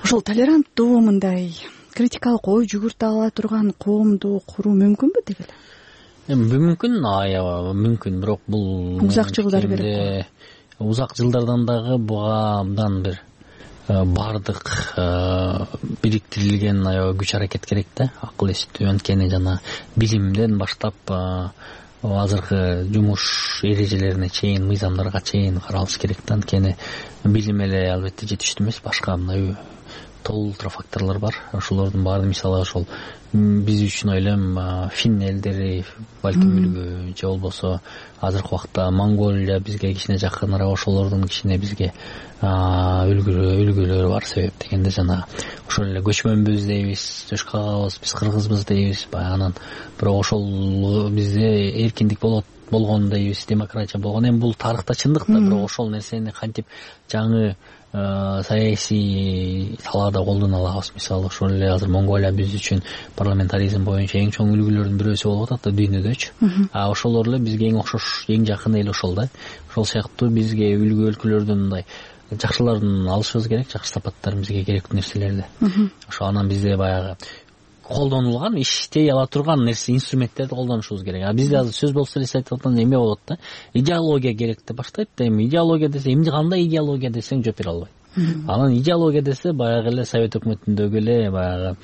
Ошол толеранттуу мындай критикалык ой жүгүртө ала турган коомду куруу мүмкүнбү деги эле? Мүмкүн, аябай мүмкүн, бирок бул узак жылдар керек. Узак жылдардан дагы буга абдан бир бардык бириктирилген аябай күч аракет керек да, акыл эстүү. Анткени жана билимден баштап азыркы жумуш эрежелерине чейин, мыйзамдарга чейин каралыш керек да. Анткени билим эле албетте жетиштүү эмес, башка мындай толуу факторлор бар. Ошолордун баары мисалы ошол биз үчүн ойлойм фин элдери балким үлгү же болбосо азыркы убакта Монголия бизге кичине жакыныраак, ошолордун кичине бизге үлгүлөрү бар. Себеп дегенде жанагы ошол эле көчмөнбүз дейбиз, жошкагабыз, биз кыргызбыз дейбиз. Анан бирок ошол бизде эркиндик болгон дейбиз, демократия болгон. Эми бул тарыхта чындык да, бирок ошол нерсени кантип жаңы саясий талаада колдоно алабыз. Мисалы ошол эле азыр Монголия биз үчүн парламентаризм боюнча эң чоң үлгүлөрдүн бирөөсү болуп атат да дүйнөдөчү. Ошолор эле бизге эң окшош, эң жакын эл ошол да. Ошол сыяктуу бизге үлгү өлкөлөрдөн мындай жакшыларын алышыбыз керек, жакшы сапаттарын бизге керектүү нерселерди. Ошо анан бизде баягы колдонулган, иштей ала турган нерсе, инструменттерди колдонушубуз керек. Бизде азыр сөз болсо эле айтып атканда эме болот да. Идеология керек деп баштайт да. Эми идеология десе, эмне кандай идеология десең жооп бере албайт. Анан идеология десе баягы эле Совет өкмөтүндөгү эле баягы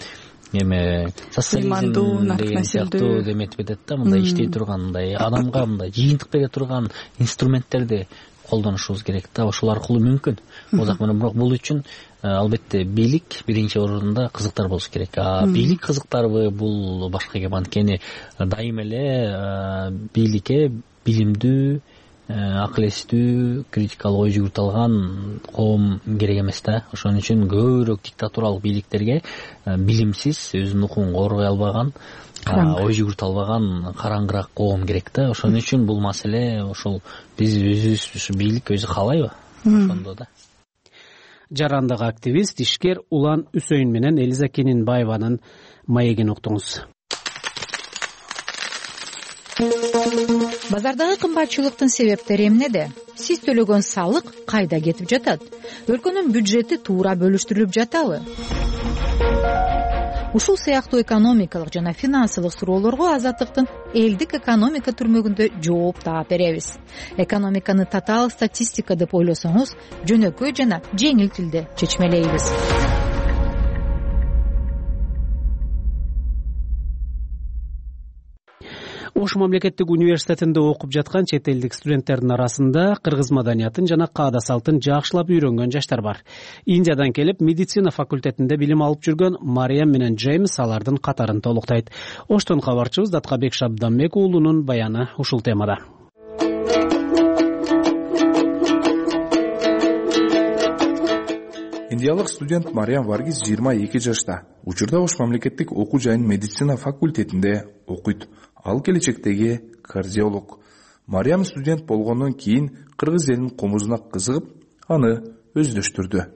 эме социализм деген сыяктуу деметип кетет да. Мындай иштей турган, мындай адамга мындай жыйынтык бере турган инструменттерди колдонушубуз керек да. Ошол аркылуу мүмкүн. Озак менен бирок бул үчүн албетте бийлик биринчи орунда кызыктар болуш керек. Бийлик кызыктарбы, бул башка кеп. Анткени дайым эле бийликке билимдүү, акыл эстүү, критикалык ой жүгүртө алган коом керек эмес да. Ошон үчүн көбүрөөк диктатуралык бийликтерге билимсиз, өзүнүн укугун коргой албаган, ой жүгүртө албаган караңгыраак коом керек да. Ошон үчүн бул маселе ошол биз өзүбүз бийлик өзү каалайбы? Ошондо да. Жарандагы активист, ишкер Улан Үсөйүн менен Элиза Кенинбаеванын маегин уктуңуз. Базардагы кымбатчылыктын себептери эмнеде? Сиз төлөгөн салык кайда кетип жатат? Өлкөнүн бюджети туура бөлүштүрүлүп жатабы? Ушул сыяктуу экономикалык жана финансылык суроолорго Азаттыктын элдик экономика түрмөгүндө жооп таап беребиз. Экономиканы татаал статистика деп ойлосоңуз, жөнөкөй жана жеңил тилде чечмелейбиз. Ош мамлекеттик университетинде окуп жаткан чет элдик студенттердин арасында кыргыз маданиятын жана каада салтын жакшылап үйрөнгөн жаштар бар. Индиядан келип, медицина факультетинде билим алып жүргөн Мариям менен Джеймс алардын катарын толуктайт. Оштон кабарчыбыз Даткабек Шабданбек уулунун баяны ушул темада. Индиялык студент Мариям Варгиз 22 жашта. Учурда Ош мамлекеттик окуу жайынын медицина факультетинде окуйт. Ал келечектеги кардиолог. Мариям студент болгондон кийин кыргыз элинин комузуна кызыгып, аны өздөштүрдү.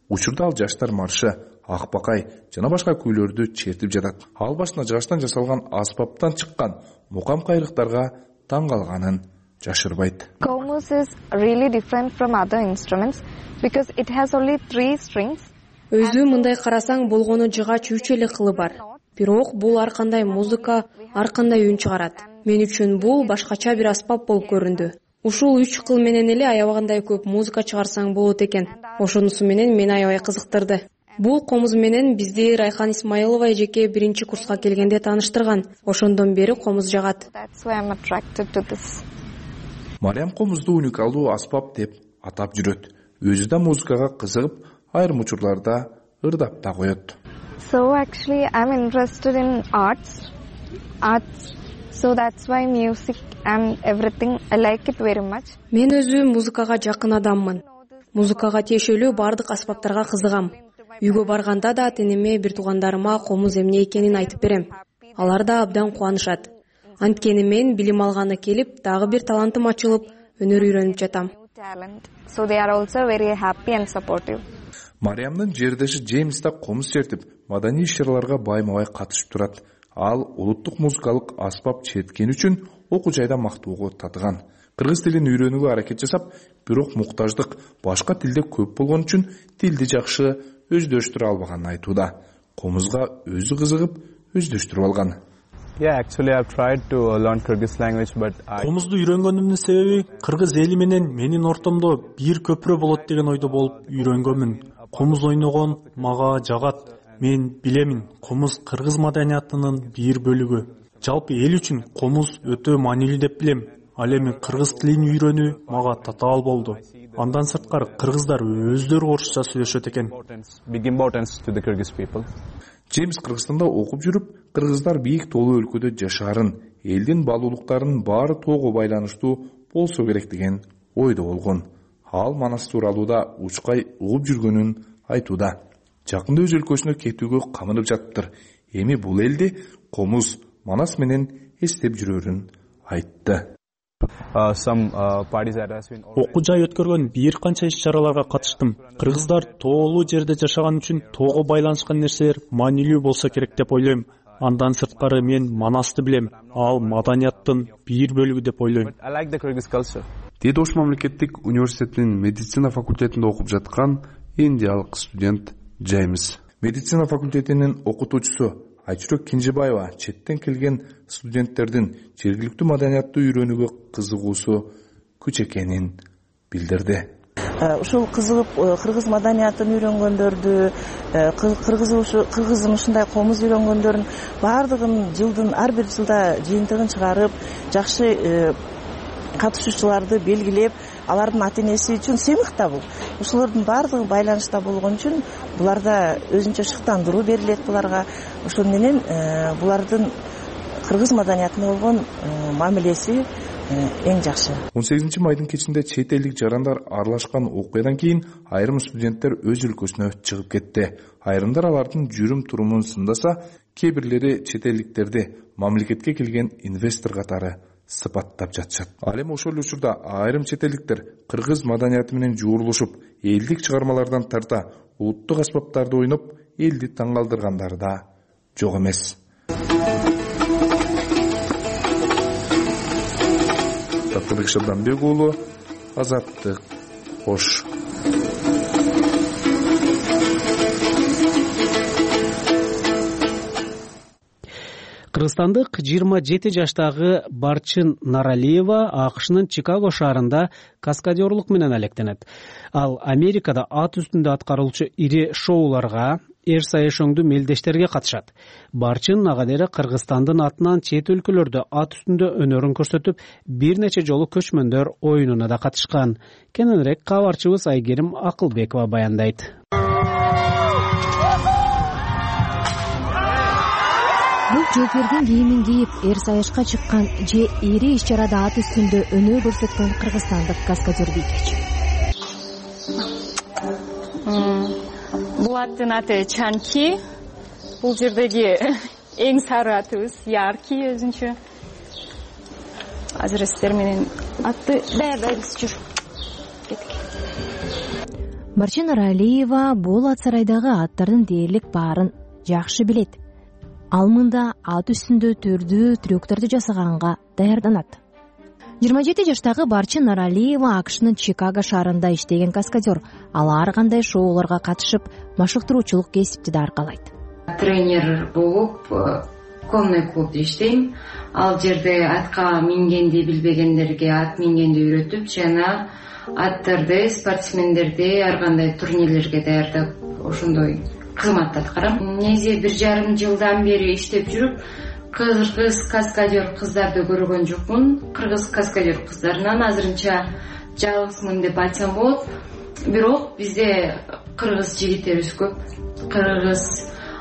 Учурда ал жаштар маршы, ак бакай жана башка күүлөрдү чертип жатат. Ал башына жагаштан жасалган аспаптан чыккан мукам кайрыктарга таң калганын жашырбайт. Komuz is really different from other instruments because it has only 3 strings. Өзү мындай карасаң болгону жыгач 3 эле кылы бар. Бирок бул ар кандай музыка, ар кандай үн чыгарат. Мен үчүн бул башкача бир аспап болуп көрүндү. Ушул 3 кыл менен эле аябагандай көп музыка чыгарсаң болот экен. Ошонусу менен мени аябай кызыктырды. Бул комуз менен бизди Райхан Исмаилова эжеке 1-курска келгенде тааныштырган. Ошондон бери комуз жагат. Мариям комузду уникалдуу аспап деп атап жүрөт. Өзү да музыкага кызыгып, айрым учурларда ырдап да коет. So actually I'm interested in arts. So that's why music and everything I like it very much. Мен өзү музыкага жакын адаммын. Музыкага тиешелүү бардык аспаптарга кызыгам. Үйгө барганда да ата-энеме, бир туугандарыма комуз эмне экенин айтып берем. Алар да абдан кубанышат. Анткени мен билим алганы келип, дагы бир талантым ачылып, өнөр үйрөнүп жатам. So they are also very happy and supportive. Мариямдын жердеши Джеймс да комуз чертип, маданий иш-чараларга байма-бай катышып турат. Ал улуттук музыкалык аспап черткен үчүн окуу жайда мактоого татыган. Кыргыз тилин үйрөнүүгө аракет жасап, бирок муктаждык башка тилде көп болгон үчүн тилди жакшы өздөштүрө албаганын айтууда. Комузга өзү кызыгып, өздөштүрүп алган. Actually I've tried to learn Kyrgyz language but Комузду үйрөнгөнүмдүн себеби кыргыз эли менен менин ортомдо бир көпүрө болот деген ойдо болуп үйрөнгөнмүн. Комуз ойногон мага жагат. Мен билемин, комуз кыргыз маданиятынын бир бөлүгү. Жалпы эл үчүн комуз өтө маанилүү деп билем. Ал эми кыргыз тилин үйрөнүү мага татаал болду. Андан сырткары кыргыздар өздөрү орусча сүйлөшөт экен. Джеймс Кыргызстанда окуп жүрүп, кыргыздар бийик тоолуу өлкөдө жашаарын, элдин баалуулуктарынын баары тоого байланыштуу болсо керек деген ойдо болгон. Ал Манас тууралуу да учкай угуп жүргөнүн айтууда. Жакында өз өлкөсүнө кетүүгө камынып жатыптыр. Эми бул элди комуз Манас менен эстеп жүрөрүн айтты. Окуу жай өткөргөн бир канча иш-чараларга катыштым. Кыргыздар тоолуу жерде жашаган үчүн тоого байланышкан нерселер маанилүү болсо керек деп ойлойм. Андан сырткары мен Манасты билем. Ал маданияттын бир бөлүгү деп ойлойм. Деди Ош мамлекеттик университетинин медицина факультетинде окуп жаткан индиялык студент Джеймс. Медицина факультетинин окутуучусу Айчүрөк Кинжибаева четтен келген студенттердин жергиликтүү маданиятты үйрөнүүгө кызыгуусу күч экенин билдирди. Ушул кызыгып кыргыз маданиятын үйрөнгөндөрдү, кыргыздын ушундай комуз үйрөнгөндөрдүн баардыгын ар бир жылда жыйынтыгын чыгарып, жакшы катышуучуларды белгилеп, алардын ата-энеси үчүн сыймык да бул. Ушулардын баардыгы байланышта болгон үчүн буларда өзүнчө шыктандыруу берилет буларга. Ошол менен булардын кыргыз маданиятына болгон мамилеси эң жакшы. 18 майдын кечинде чет элдик жарандар аралашкан окуядан кийин айрым студенттер өз өлкөсүнө чыгып кетти. Айрымдар алардын жүрүм-турумун сындаса, кээ бирлери чет элдиктерди мамлекетке келген инвестор катары сыпаттап жатышат. Ал эми ошол учурда айрым чет элдиктер кыргыз маданияты менен жуурулушуп, элдик чыгармалардан тарта улуттук аспаптарды ойноп, элди таң калтыргандары да жок эмес. Татыбек Шабданбек уулу, Азаттык, Ош. Кыргызстандык 27 жаштагы Барчын Наралиева АКШнын Чикаго шаарында каскадерлук менен алектенет. Ал Америкада ат үстүндө аткарылчу ири шоуларга, эр саяшоңдуу мелдештерге катышат. Барчын нагадери Кыргызстандын атынан чет өлкөлөрдө ат үстүндө өнөрүн көрсөтүп, бир нече жолу көчмөндөр оюнуна да катышкан. Кененирээк кабарчыбыз Айгерим Акылбекова баяндайт. Бул жолдордун кийимин кийип, эр саяшка чыккан же ири иш-чарада ат үстүндө өнөө көрсөткөн кыргызстандык каскадер бийкечи. Бул аттын аты Чанки. Бул жердеги эң сары атыбыз, яркий өзүнчө. Азыр сиздер менен атты даярдайбыз, жүр. Барчын Наралиева бул ат сарайдагы аттардын дээрлик баарын жакшы билет. Ал мында ат үстүндө төрдүү трюктарды жасаганга даярданат. 27 жаштагы Барчын Наралиева АКШнын Чикаго шаарында иштеген каскадер. Ал ар кандай шоуларга катышып, машыктыруучулук кесипти да аркалайт. Тренер болуп, конный клубда иштейм. Ал жерде атка мингенди билбегендерге ат мингенди үйрөтүп, жана аттарды, спортсмендерди ар кандай турнирлерге даярдап, ошондой кызматты аткарам. Негизи 1,5 жылдан бери иштеп жүрүп, кыргыз каскадер кыздарды көргөн жокмун. Кыргыз каскадер кыздарынан азырынча жалгызмын деп айтсам болот. Бирок бизде кыргыз жигиттерибиз көп. Кыргыз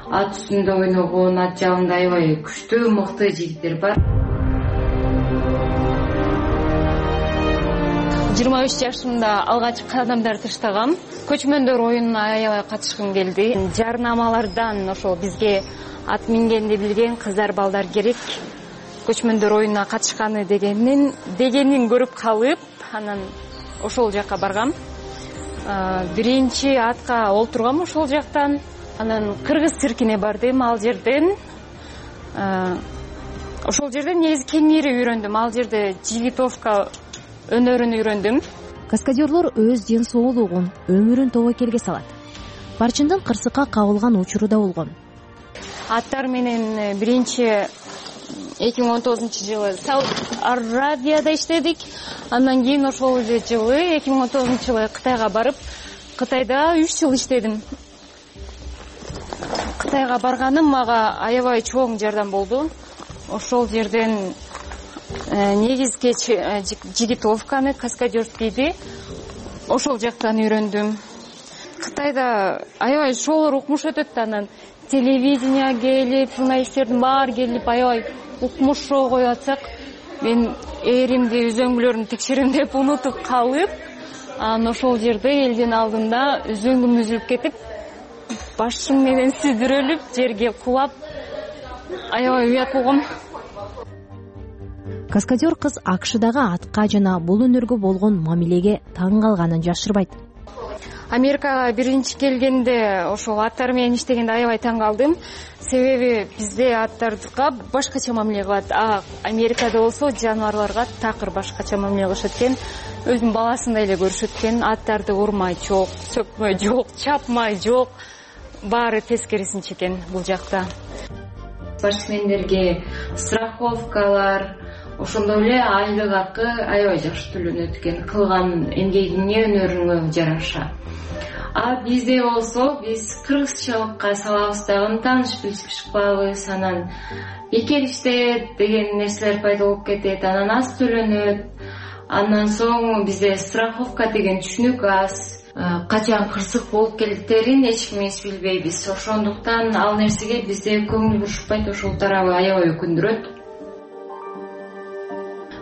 ат үстүндө ойногон, ат жалында аябай күчтүү, мыкты жигиттер бар. 23 жашымда алгач кадамдар таштагам. Көчмөндөр оюнуна аябай катышкым келди. Жарнамалардан ошол бизге ат мингенди билген кыздар, балдар керек. Көчмөндөр оюнуна катышканы дегенин көрүп калып, анан ошол жакка баргам. Биринчи атка олтургам ошол жактан. Анан кыргыз циркине бардым. Ал жерден негизи кеңири үйрөндүм. Ал жерде жигитовка өнөрүн үйрөндүм. Каскадерлор өз ден соолугун, өмүрүн тобокелге салат. Барчындын кырсыкка кабылган учуру да болгон. Аттар менен биринчи 2019-жылы Сауд Арабияда иштедик. Андан кийин ошол эле жылы 2019-жылы Кытайга барып, Кытайда 3 жыл иштедим. Кытайга барганым мага аябай чоң жардам болду. Ошол жерден негизги жигитовканы, каскадерскийди ошол жактан үйрөндүм. Кытайда аябай шоолор укмуш өтөт да, анан телевидение келип, журналисттердин баары келип аябай укмуш шоо коюп атсак, мен эримди, үзөңгүлөрүмдү текшерем деп унутуп калып, анан ошол жерде элдин алдында үзөңгүм үзүлүп кетип, башым менен сүйдүрөлүп, жерге кулап, аябай уят болгом. Каскадер кыз АКШдагы атка жана бул өнөргө болгон мамилеге таң калганын жашырбайт. Америкага биринчи келгенде ошол аттар менен иштегенде аябай таң калдым. Себеби бизде аттарга башкача мамиле кылат. Америкада болсо жаныбарларга такыр башкача мамиле кылышат экен. Өзүнүн баласындай эле көрүшөт экен. Аттарды урмай жок, сөкмөй жок, чапмай жок. Баары тескерисинче экен бул жакта. Спортсмендерге страховкалар, ошондой эле айлык акы аябай жакшы төлөнөт экен, кылган эмгегиңе, өнөрүңө жараша. Бизде болсо биз кыргызчалыкка салабыз дагы, тааныш билишип чыкпайбыз, анан бекериште деген нерселер пайда болуп кетет, анан аз төлөнөт. Андан соң бизде страховка деген түшүнүк аз. Качан кырсык болуп келтерин эч кимибиз билбейбиз. Ошондуктан ал нерсеге бизде көңүл бурушпайт, ошол тарабы аябай өкүндүрөт.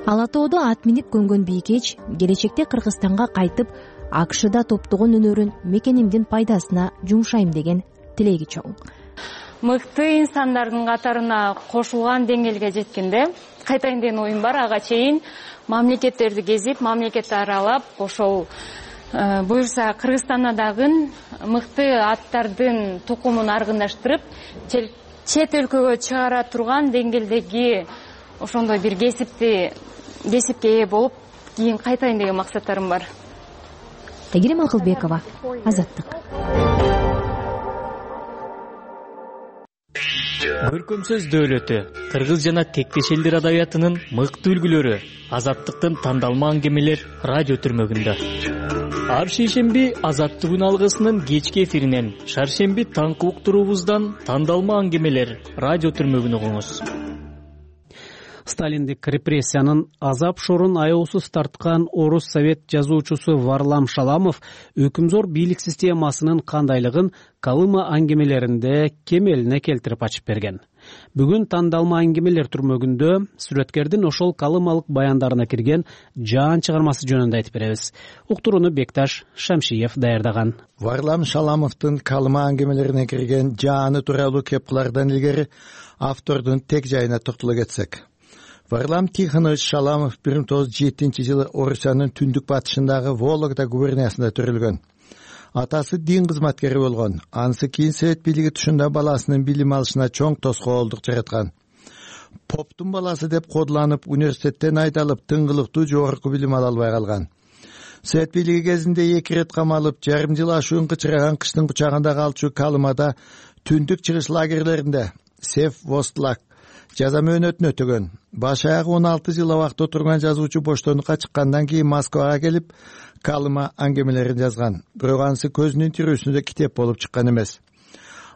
Ала тоодо ат минип көнгөн Бийкеч келечекте Кыргызстанга кайтып, АКШда топтогон өнөрүн мекенимдин пайдасына жумшайм деген тилеги чоң. Мыкты инсандардын катарына кошулган деңгээлге жеткенде кайтайын деген оюм бар. Ага чейин мамлекеттерди кезип, мамлекетти аралап, ошол буюрса Кыргызстанда дагы мыкты аттардын тукумун аргындаштырып, чет өлкөгө чыгара турган деңгээлдеги ошондой бир кесипке ээ болуп, кийин кайтайын деген максаттарым бар. Тегерим Акылбекова, Азаттык. Көркөмсөз дөөлөтү, кыргыз жана тектеш элдер адабиятынын мыкты үлгүлөрү Азаттыктын тандалма аңгемелер радио түрмөгүндө. Ар шейшемби Азаттык күн алгысынын кечки эфиринен, шаршемби таңкы уктуруубуздан тандалма аңгемелер радио түрмөгүн угуңуз. Сталиндик репрессиянын азап шорун аяусуз тарткан орус совет жазуучусу Варлам Шаламов өкүмзор бийлик системасынын кандайлыгын Калыма аңгемелеринде кемелине келтирип ачып берген. Бүгүн тандалма аңгемелер түрмөгүндө сүрөткердин ошол калымалык баяндарына кирген жаан чыгармасы жөнүндө айтып беребиз. Уктурууну Бекташ Шамшиев даярдаган. Варлам Шаламовдун Калыма аңгемелерине кирген жааны тууралуу кеп кылардан илгери автордун тек жайына токтоло кетсек. Варлам Тихонович Шаламов 1907-жылы Орусиянын түндүк батышындагы Вологда губерниясында төрөлгөн. Атасы дин кызматкери болгон. Анысы кийин совет бийлиги тушунда баласынын билим алышына чоң тоскоолдук жараткан. Поптун баласы деп кодуланып, университеттен айдалып, тыңгылыктуу жогорку билим ала албай калган. Совет бийлиги кезинде 2 рет камалып, жарым жыл ашуун кычыраган кыштын кучагында калчу Калымада түндүк чыгыш лагерлеринде Сев-Востлак жаза мөөнөтүн өтөгөн. Баш аягы 16 жыл абакта отурган жазуучу боштондукка чыккандан кийин Москвага келип, Калыма аңгемелерин жазган. Бирок анысы көзүнүн тирүүсүндө китеп болуп чыккан эмес.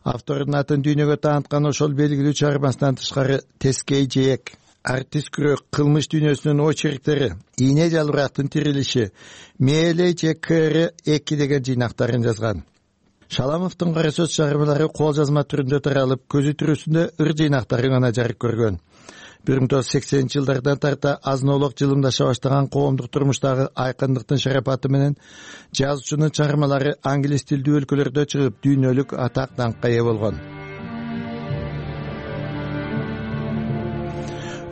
Автордун атын дүйнөгө тааныткан ошол белгилүү чыгармасынан тышкары Тескей жээк, Артист күрөк, кылмыш дүйнөсүнүн очерктери, Ийне жалбырактын тирилиши, Мээлей же КР-2 деген жыйнактарын жазган. Шаламовдун кара сөз чыгармалары кол жазма түрүндө таралып, көзү тирүүсүндө ыр жыйнактары гана жарык көргөн. 1980-жылдардан тарта азын-олок жылымдаша баштаган коомдук турмуштагы айкындыктын шарапаты менен жазуучунун чыгармалары англис тилдүү өлкөлөрдө чыгып, дүйнөлүк атак даңкка ээ болгон.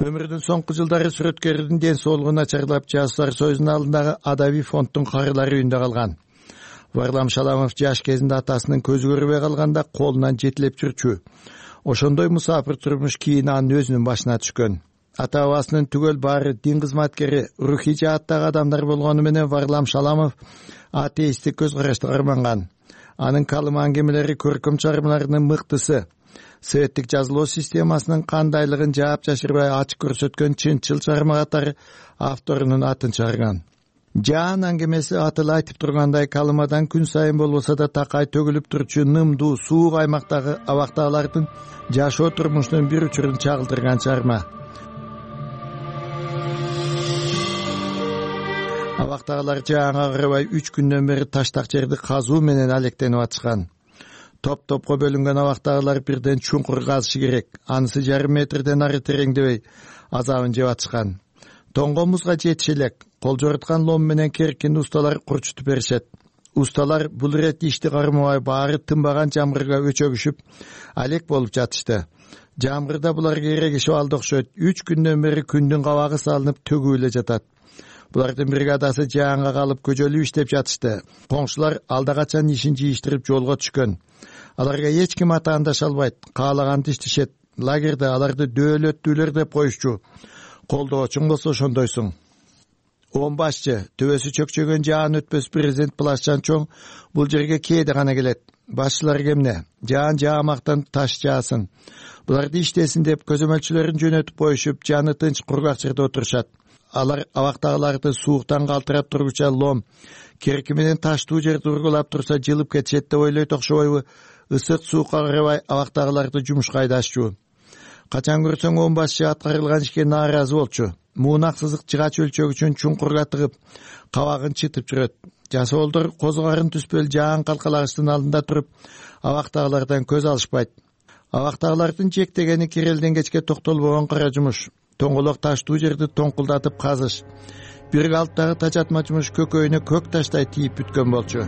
Өмүрүнүн соңку жылдары сүрөткердин ден соолугу начарлап, Жазуучулар союзунун алдындагы адабий фонддун карылары үйүндө калган. Варлам Шаламов жаш кезинде атасынын көзү көрбөй калганда колунан жетилеп жүрчү. Ошондой мусафир турмуш кийин анын өзүнүн башына түшкөн. Ата-бабасынын түгөл баары дин кызматкери, рухий жааттагы адамдар болгону менен Варлам Шаламов атеисттик көз карашты карманган. Анын Калыма аңгемелери көркөм чыгармаларынын мыктысы. Советтик жазылуу системасынын кандайлыгын жаап жашырбай ачык көрсөткөн чынчыл чыгарма катары авторунун атын чыгарган. Жаан аңгемеси атыла айтып тургандай, Калымадан күн сайын болбосо да такай төгүлүп турчу нымдуу суук аймактагы абактагылардын жашоо турмушунун бир учурун чагылдырган чыгарма. Абактагылар жааңга карабай 3 күндөн бери таштак жерди казуу менен алектенип атышкан. Топ-топко бөлүнгөн абактагылар бирден чуңкур казышы керек. Анысы жарым метрден ары тереңдебей азабын жеп атышкан. Тоңго музга жетише элек кол жоруткан лом менен керкин усталар курчутуп беришет. Усталар бул ирет ишти кармабай баары тынбаган жамгырга өчөгүшүп алек болуп жатышты. Жамгырда буларга эрегишип алды окшойт. 3 күндөн бери күндүн кабагы салынып төгүп эле жатат. Булардын бригадасы жааңга калып көжөлүп иштеп жатышты. Коңшулар алда качан ишин жыйыштырып жолго түшкөн. Аларга эч ким атаандаша албайт. Каалаганды иштешет. Лагерде аларды дөөлөттүүлөр деп коюшчу. Колдоочуң болсо ошондойсуң. Он башчы, төбөсү чөкчөгөн жаан өтпөс президент Плашчан чоң бул жерге кээде гана келет. Башчылар кемне? Жаан жаамактан таш жаасын. Буларды иштесин деп көзөмөлчүлөрүн жөнөтүп коюшуп, жаны тынч кургак жерде отурушат. Алар абактагыларды сууктан калтырап тургуча лом, керки менен таштуу жерди ургулап турса жылып кетишет деп ойлойт окшобойбу? Ысык суукка карабай абактагыларды жумушка айдашчу. Качан көрсөң он башчы аткарылган ишке нааразы болчу. Муунак сызык жыгач өлчөг үчүн чуңкурга тыгып, кабагын чытып жүрөт. Жасоолдор козгарын түспөл жаан калкалагычтын алдында туруп, абактагылардан көз алышпайт. Абактагылардын жектегени кирелден кечке токтолбогон кара жумуш. Тоңголок таштуу жерди тоңкулдатып казыш. Бир калыптагы тажатма жумуш көкөйүнө көк таштай тийип бүткөн болчу.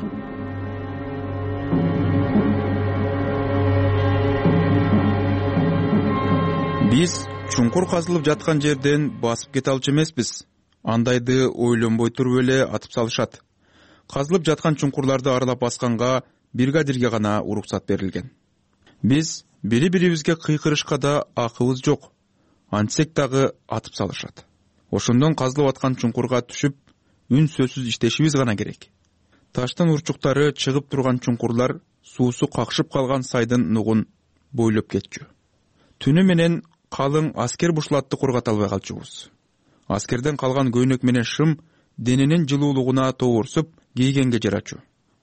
Биз чуңкур казылып жаткан жерден басып кете алчу эмеспиз. Андайды ойлонбой туруп эле атып салышат. Казылып жаткан чуңкурларды аралап басканга бригадирге гана уруксат берилген. Биз бири-бирибизге кыйкырышка да акыбыз жок. Антсек дагы атып салышат. Ошондон казылып аткан чуңкурга түшүп, үн сөзсүз иштешибиз гана керек. Таштын урчуктары чыгып турган чуңкурлар суусу какшып калган сайдын нугун бойлоп кетчү. Түнү менен калың аскер бушлатты кургата албай калчубуз. Аскерден калган көйнөк менен шым дененин жылуулугуна тоорсуп кийгенге жарачу.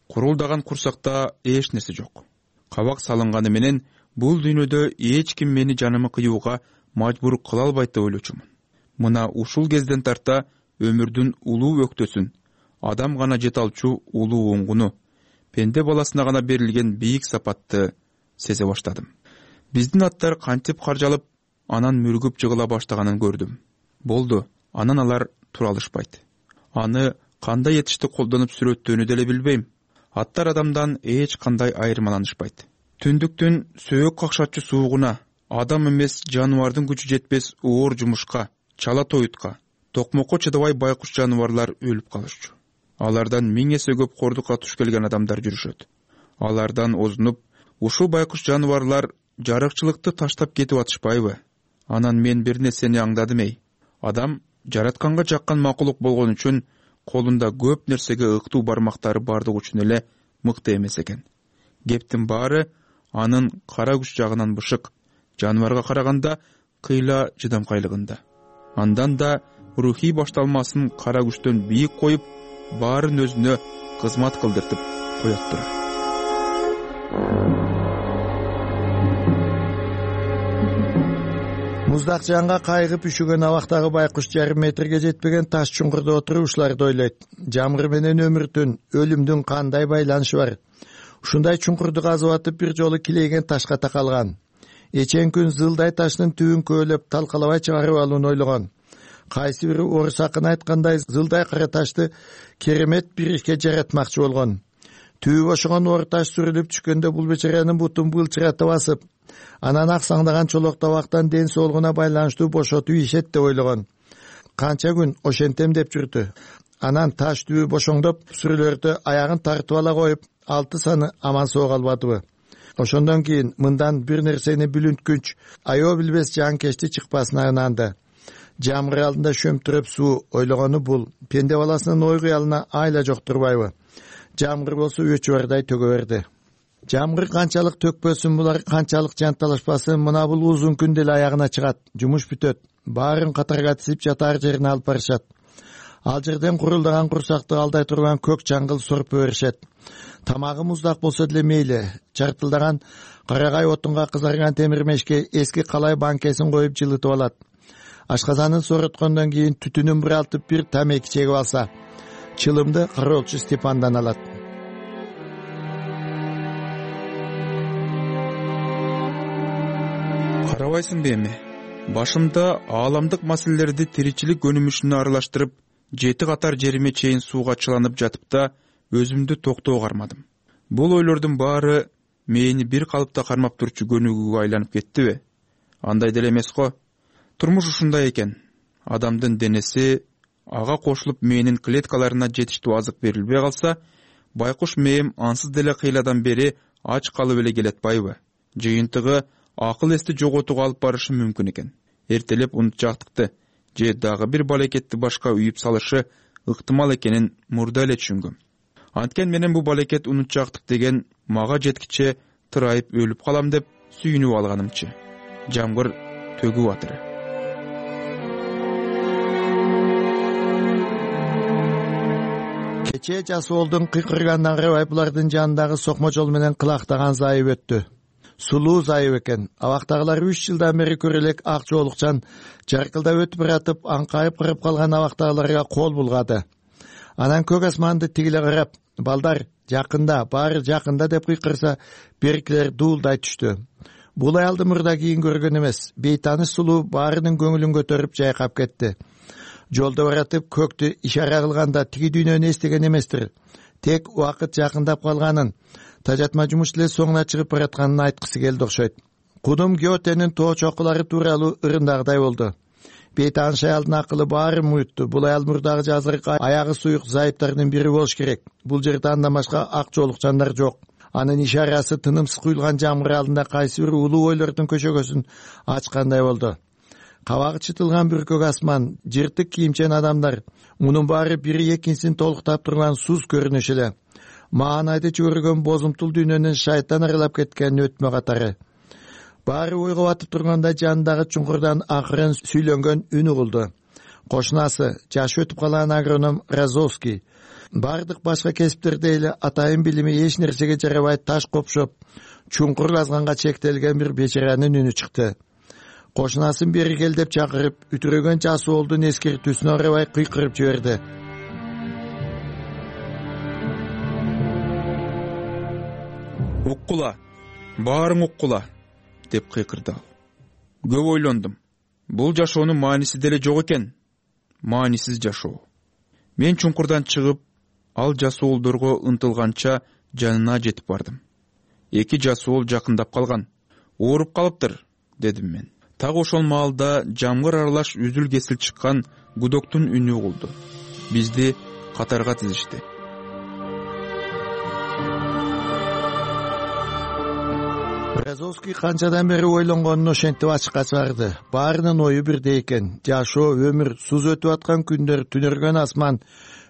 Курулдаган курсакта эч нерсе жок. Кабак салынганы менен бул дүйнөдө эч ким мени жанымы кыюуга мажбур кыла албайт деп ойлочумун. Мына ушул кезден тарта өмүрдүн улуу өктөсүн, адам гана жете алчу улуу оңгуну, пенде баласына гана берилген бийик сапатты сезе баштадым. Биздин аттар кантип каржалып, анан мүргүп жыгыла баштаганын көрдүм. Болду, анан алар тура алышпайт. Аны кандай этишти колдонуп сүрөттөөнү деле билбейм. Аттар адамдан эч кандай айырмаланышпайт. Түндүктүн сөөк какшатчу суугуна, адам эмес жаныбардын күчү жетпес оор жумушка, чала тоютка, токмокко чыдабай байкуш жаныбарлар өлүп калышчу. Алардан 1000 эсе көп кордукка туш келген адамдар жүрүшөт. Алардан озунуп, ушул байкуш жаныбарлар жарыкчылыкты таштап кетип атышпайбы? Анан мен бир нерсени аңдадым эй. Адам жаратканга жаккан макулук болгон үчүн колунда көп нерсеге ыктуу бармактары бардык үчүн эле мыкты эмес экен. Кептин баары анын кара күч жагынан бышык, жаныбарга караганда кыйла жыдамкайлыгында. Андан да рухий башталмасын кара күчтөн бийик коюп, баарын өзүнө кызмат кылдыртып коёттур. Муздак жанга кайгып үшүгөн абактагы байкуш жарым метрге жетпеген таш чуңкурда отуруп ушуларды ойлойт. Жамгыр менен өмүрдүн, өлүмдүн кандай байланышы бар? Ушундай чуңкурду казып атып бир жолу килейген ташка такалган. Эчен күн зылдай таштын түбүн көөлөп талкалабай чыгарып алууну ойлогон. Кайсы бири орус акыны айткандай зылдай кара ташты керемет бир ишке жаратмакчы болгон. Түбү бошогон оор таш сүрүлүп түшкөндө бул бечаранын бутун былчыратып басып, анан аксаңдаган чолок табактан ден соолугуна байланыштуу бошотуп ийишет деп ойлогон. Канча күн ошентем деп жүрдү. Анан таш түбү бошоңдоп, сүрүлөрдө аягын тартып ала коюп, 6 саны аман соо калбадыбы? Ошондон кийин мындан бир нерсени бүлүнткүнч, аё билбес жанкечти чыкпасына ынанды. Жамгыр алдында шөмтүрөп суу ойлогону бул пенде баласынын ой кыялына айла жок турбайбы? Жамгыр болсо өчү бардай төгө берди. Жамгыр канчалык төкпөсүн, булар канчалык жанталашпасын, мына бул узун күн деле аягына чыгат, жумуш бүтөт. Баарын катарга тизип жатар жерине алып барышат. Ал жерден курулдаган курсакты алдай турган көк чаңгыл сорпо беришет. Тамагы муздак болсо деле мейли. Чартылдаган карагай отунга кызарган темир мешке эски калай банкесин коюп жылытып алат. Ашказанын сороткондон кийин түтүнүн бир алтып бир тамеки чегип алса, чылымды кароолчу Степандан алат. Карабайсыңбы эми? Башымда ааламдык маселелерди тиричилик өнүмүшүнө аралаштырып, 7 катар жериме чейин сууга чыланып жатып да өзүмдү токтоого кармадым. Бул ойлордун баары мени бир калыпта кармап турчу көнүгүүгө айланып кеттиби? Андай деле эмес го. Турмуш ушундай экен. Адамдын денеси ага кошулуп мээнин клеткаларына жетиштүү азык берилбей калса, байкуш мээм ансыз деле кыйладан бери ач калып эле келатпайбы? Жыйынтыгы акыл эсти жоготууга алып барышы мүмкүн экен. Эртелеп унутчактыкты же дагы бир балекетти башка үйүп салышы ыктымал экенин мурда эле түшүнгөм. Анткен менен бу балекет унутчактык деген мага жеткиче тырайып өлүп калам деп сүйүнүп алганымчы. Жамгыр төгүп атыры. Кечээ Жасуулдун кыйкыргандан карабай булардын жанындагы сокмо жол менен кылактаган зайып өттү. Сулуу зайып экен. Абактагылар 3 жылдан бери көрөлек ак жоолукчан жаркылдап өтүп баратып, аңкайып кырып калган абактагыларга кол булгады. Анан көк асманды тигиле карап, балдар жакында, баары жакында деп кыйкырса, беркилер дуулдай түштү. Бул аялды мурда кийин көргөн эмес. Бейтаныш сулуу баарынын көңүлүн көтөрүп жайкап кетти. Жолдо баратып көктү ишара кылганда тиги дүйнөнү эстеген эместир. Тек убакыт жакындап калганын, тажатма жумуш эле соңуна чыгып баратканын айткысы келди окшойт. Кудум Гётенин тоо чокулары тууралуу ырындагыдай болду. Бейтаныш аялдын акылы баары муйутту. Бул аял мурдагы жазыркы аягы суюк зайыптардын бири болуш керек. Бул жерде андан башка ак жоолукчандар жок. Анын ишарасы тынымсыз куюлган жамгыр алдында кайсы бир улуу ойлордун көчөгөсүн ачкандай болду. Кабагы чытылган бүркөк асман, жыртык кийимчен адамдар, мунун баары бири экинчисин толуктап турган суз көрүнүш эле. Маанайды чөгөргөн бозумтул дүйнөнүн шайтан аралап кеткен өтмө катары. Баары ойго батып турганда жанындагы чуңкурдан акырын сүйлөнгөн үн угулду. Кошунасы, жашы өтүп калган агроном Разовский, бардык башка кесиптерде эле атайын билими эч нерсеге жарабай таш копшоп, чуңкур казганга чектелген бир бечаранын үнү чыкты. Кошунасын бери кел деп чакырып, үтүрөгөн Жасуулдун эскертүүсүнө карабай кыйкырып жиберди. Уккула, баарың уккула, деп кыйкырды ал. Көп ойлондум. Бул жашоонун мааниси деле жок экен. Маанисиз жашоо. Мен чуңкурдан чыгып, ал Жасуулдорго ынтылганча жанына жетип бардым. 2 Жасуул жакындап калган. Ооруп калыптыр, дедим мен. Так ошол маалда жамгыр аралаш үзүл кесил чыккан гудоктун үнү угулду. Бизди катарга тизишти. Разовский канчадан бери ойлонгонун ошентип ачыкка чыгарды. Баарынын ою бирдей экен. Жашоо, өмүр, суз өтүп аткан күндөр, түнөргөн асман,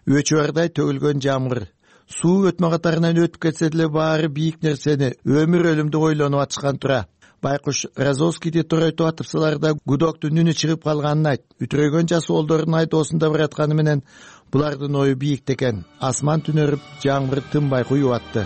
өчүбардай төгүлгөн жамгыр. Суу өтмө катарынан өтүп кетсе деле баары бийик нерсени, өмүр өлүмдү ойлонуп атышкан тура. Байкуш Разовскийди торойтуп атыпсаларда гудоктун үнү чыгып калганын айт. Үтүрөгөн Жасуулдордун айдоосунда баратканы менен булардын ою бийик экен. Асман түнөрүп, жамгыр тынбай куюп атты.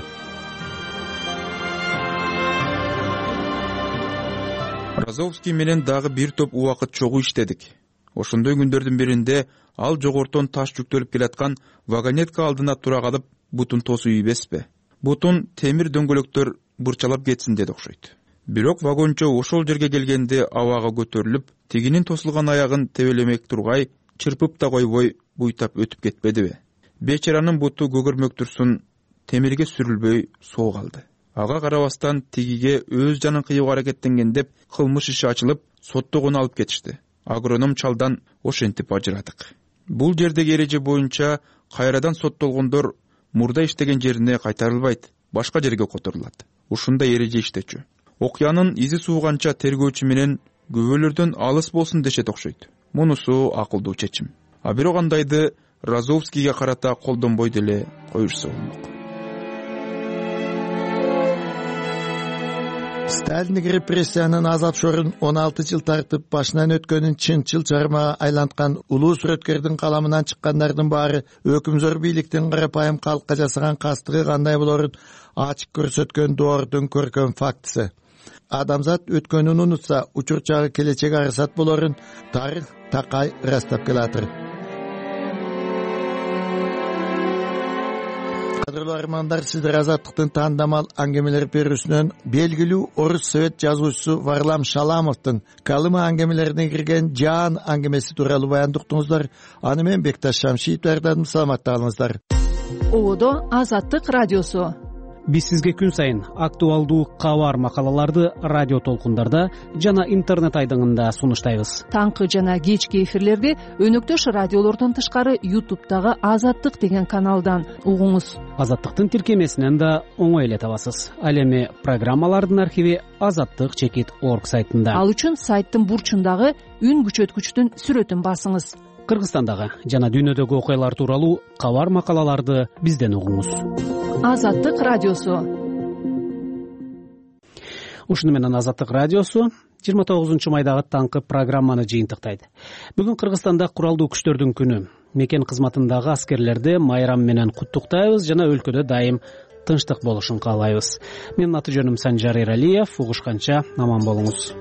Разовский менен дагы бир топ убакыт чогуу иштедик. Ошондой күндөрдүн биринде ал жогортон таш жүктөлүп келаткан вагонетка алдына тура калып, бутун тосуп ийбеспи? Бутун темир дөңгөлөктөр бырчалап кетсин деди окшойт. Бирок вагончо ошол жерге келгенде абага көтөрүлүп, тигинин тосулган аягын тебелемек тургай, чырпып да койбой буйтап өтүп кетпедиби? Бечаранын буту көгөрмөк турсун, темирге сүрүлбөй соо калды. Ага карабастан тигиге өз жанын кыйууга аракеттенген деп кылмыш иши ачылып, соттогону алып кетишти. Агроном чалдан ошентип ажырадык. Бул жердеги эреже боюнча кайрадан соттолгондор мурда иштеген жерине кайтарылбайт, башка жерге которулат. Ушундай эреже иштечү. Окуянын изи сууганча тергөөчү менен күбөлөрдөн алыс болсун дешет окшойт. Мунусу акылдуу чечим. А бирок андайды Разовскийге карата колдонбой деле коюшса болмок. Сталиндик репрессиянын азап шорун 16 жыл тартып башынан өткөнүн чынчыл чармага айланткан улуу сүрөткердин каламынан чыккандардын баары өкүмзөр бийликтин карапайым калкка жасаган кастыгы кандай болорун ачык көрсөткөн доордун көркөм фактысы. Адамзат өткөнүн унутса, учурчагы келечеги арсат болорун тарых такай ырастап келатыр. Кадырлуу армандар, сиздер Азаттыктын таандамал аңгемелер берүүсүнөн белгилүү орус совет жазуучусу Варлам Шаламовдун калыма аңгемелерине кирген Жаан аңгемеси тууралуу баянды уктуңуздар. Аны менен Бекташ Шамшиев даярдадым. Саламатта калыңыздар. Ободо Азаттык радиосу. Биз сизге күн сайын актуалдуу кабар макалаларды радио толкундарда жана интернет айдыңында сунуштайбыз. Таңкы жана кечки эфирлерди өнөктөш радиолордон тышкары YouTube'дагы Азаттык деген каналдан угуңуз. Азаттыктын тиркемесинен да оңой эле табасыз. Ал эми программалардын архиви azattik.org сайтында. Ал үчүн сайттын бурчундагы үн күчөткүчтүн сүрөтүн басыңыз. Кыргызстандагы жана дүйнөдөгү окуялар тууралуу кабар макалаларды бизден угуңуз. Азаттык радиосу. Ушуну менен Азаттык радиосу 29-майдагы таңкы программаны жыйынтыктайт. Бүгүн Кыргызстанда куралдуу күчтөрдүн күнү. Мекен кызматындагы аскерлерди майрам менен куттуктайбыз жана өлкөдө дайым тынчтык болушун каалайбыз. Менин аты жөнүм Санжар Эралиев. Угушканча аман болуңуз.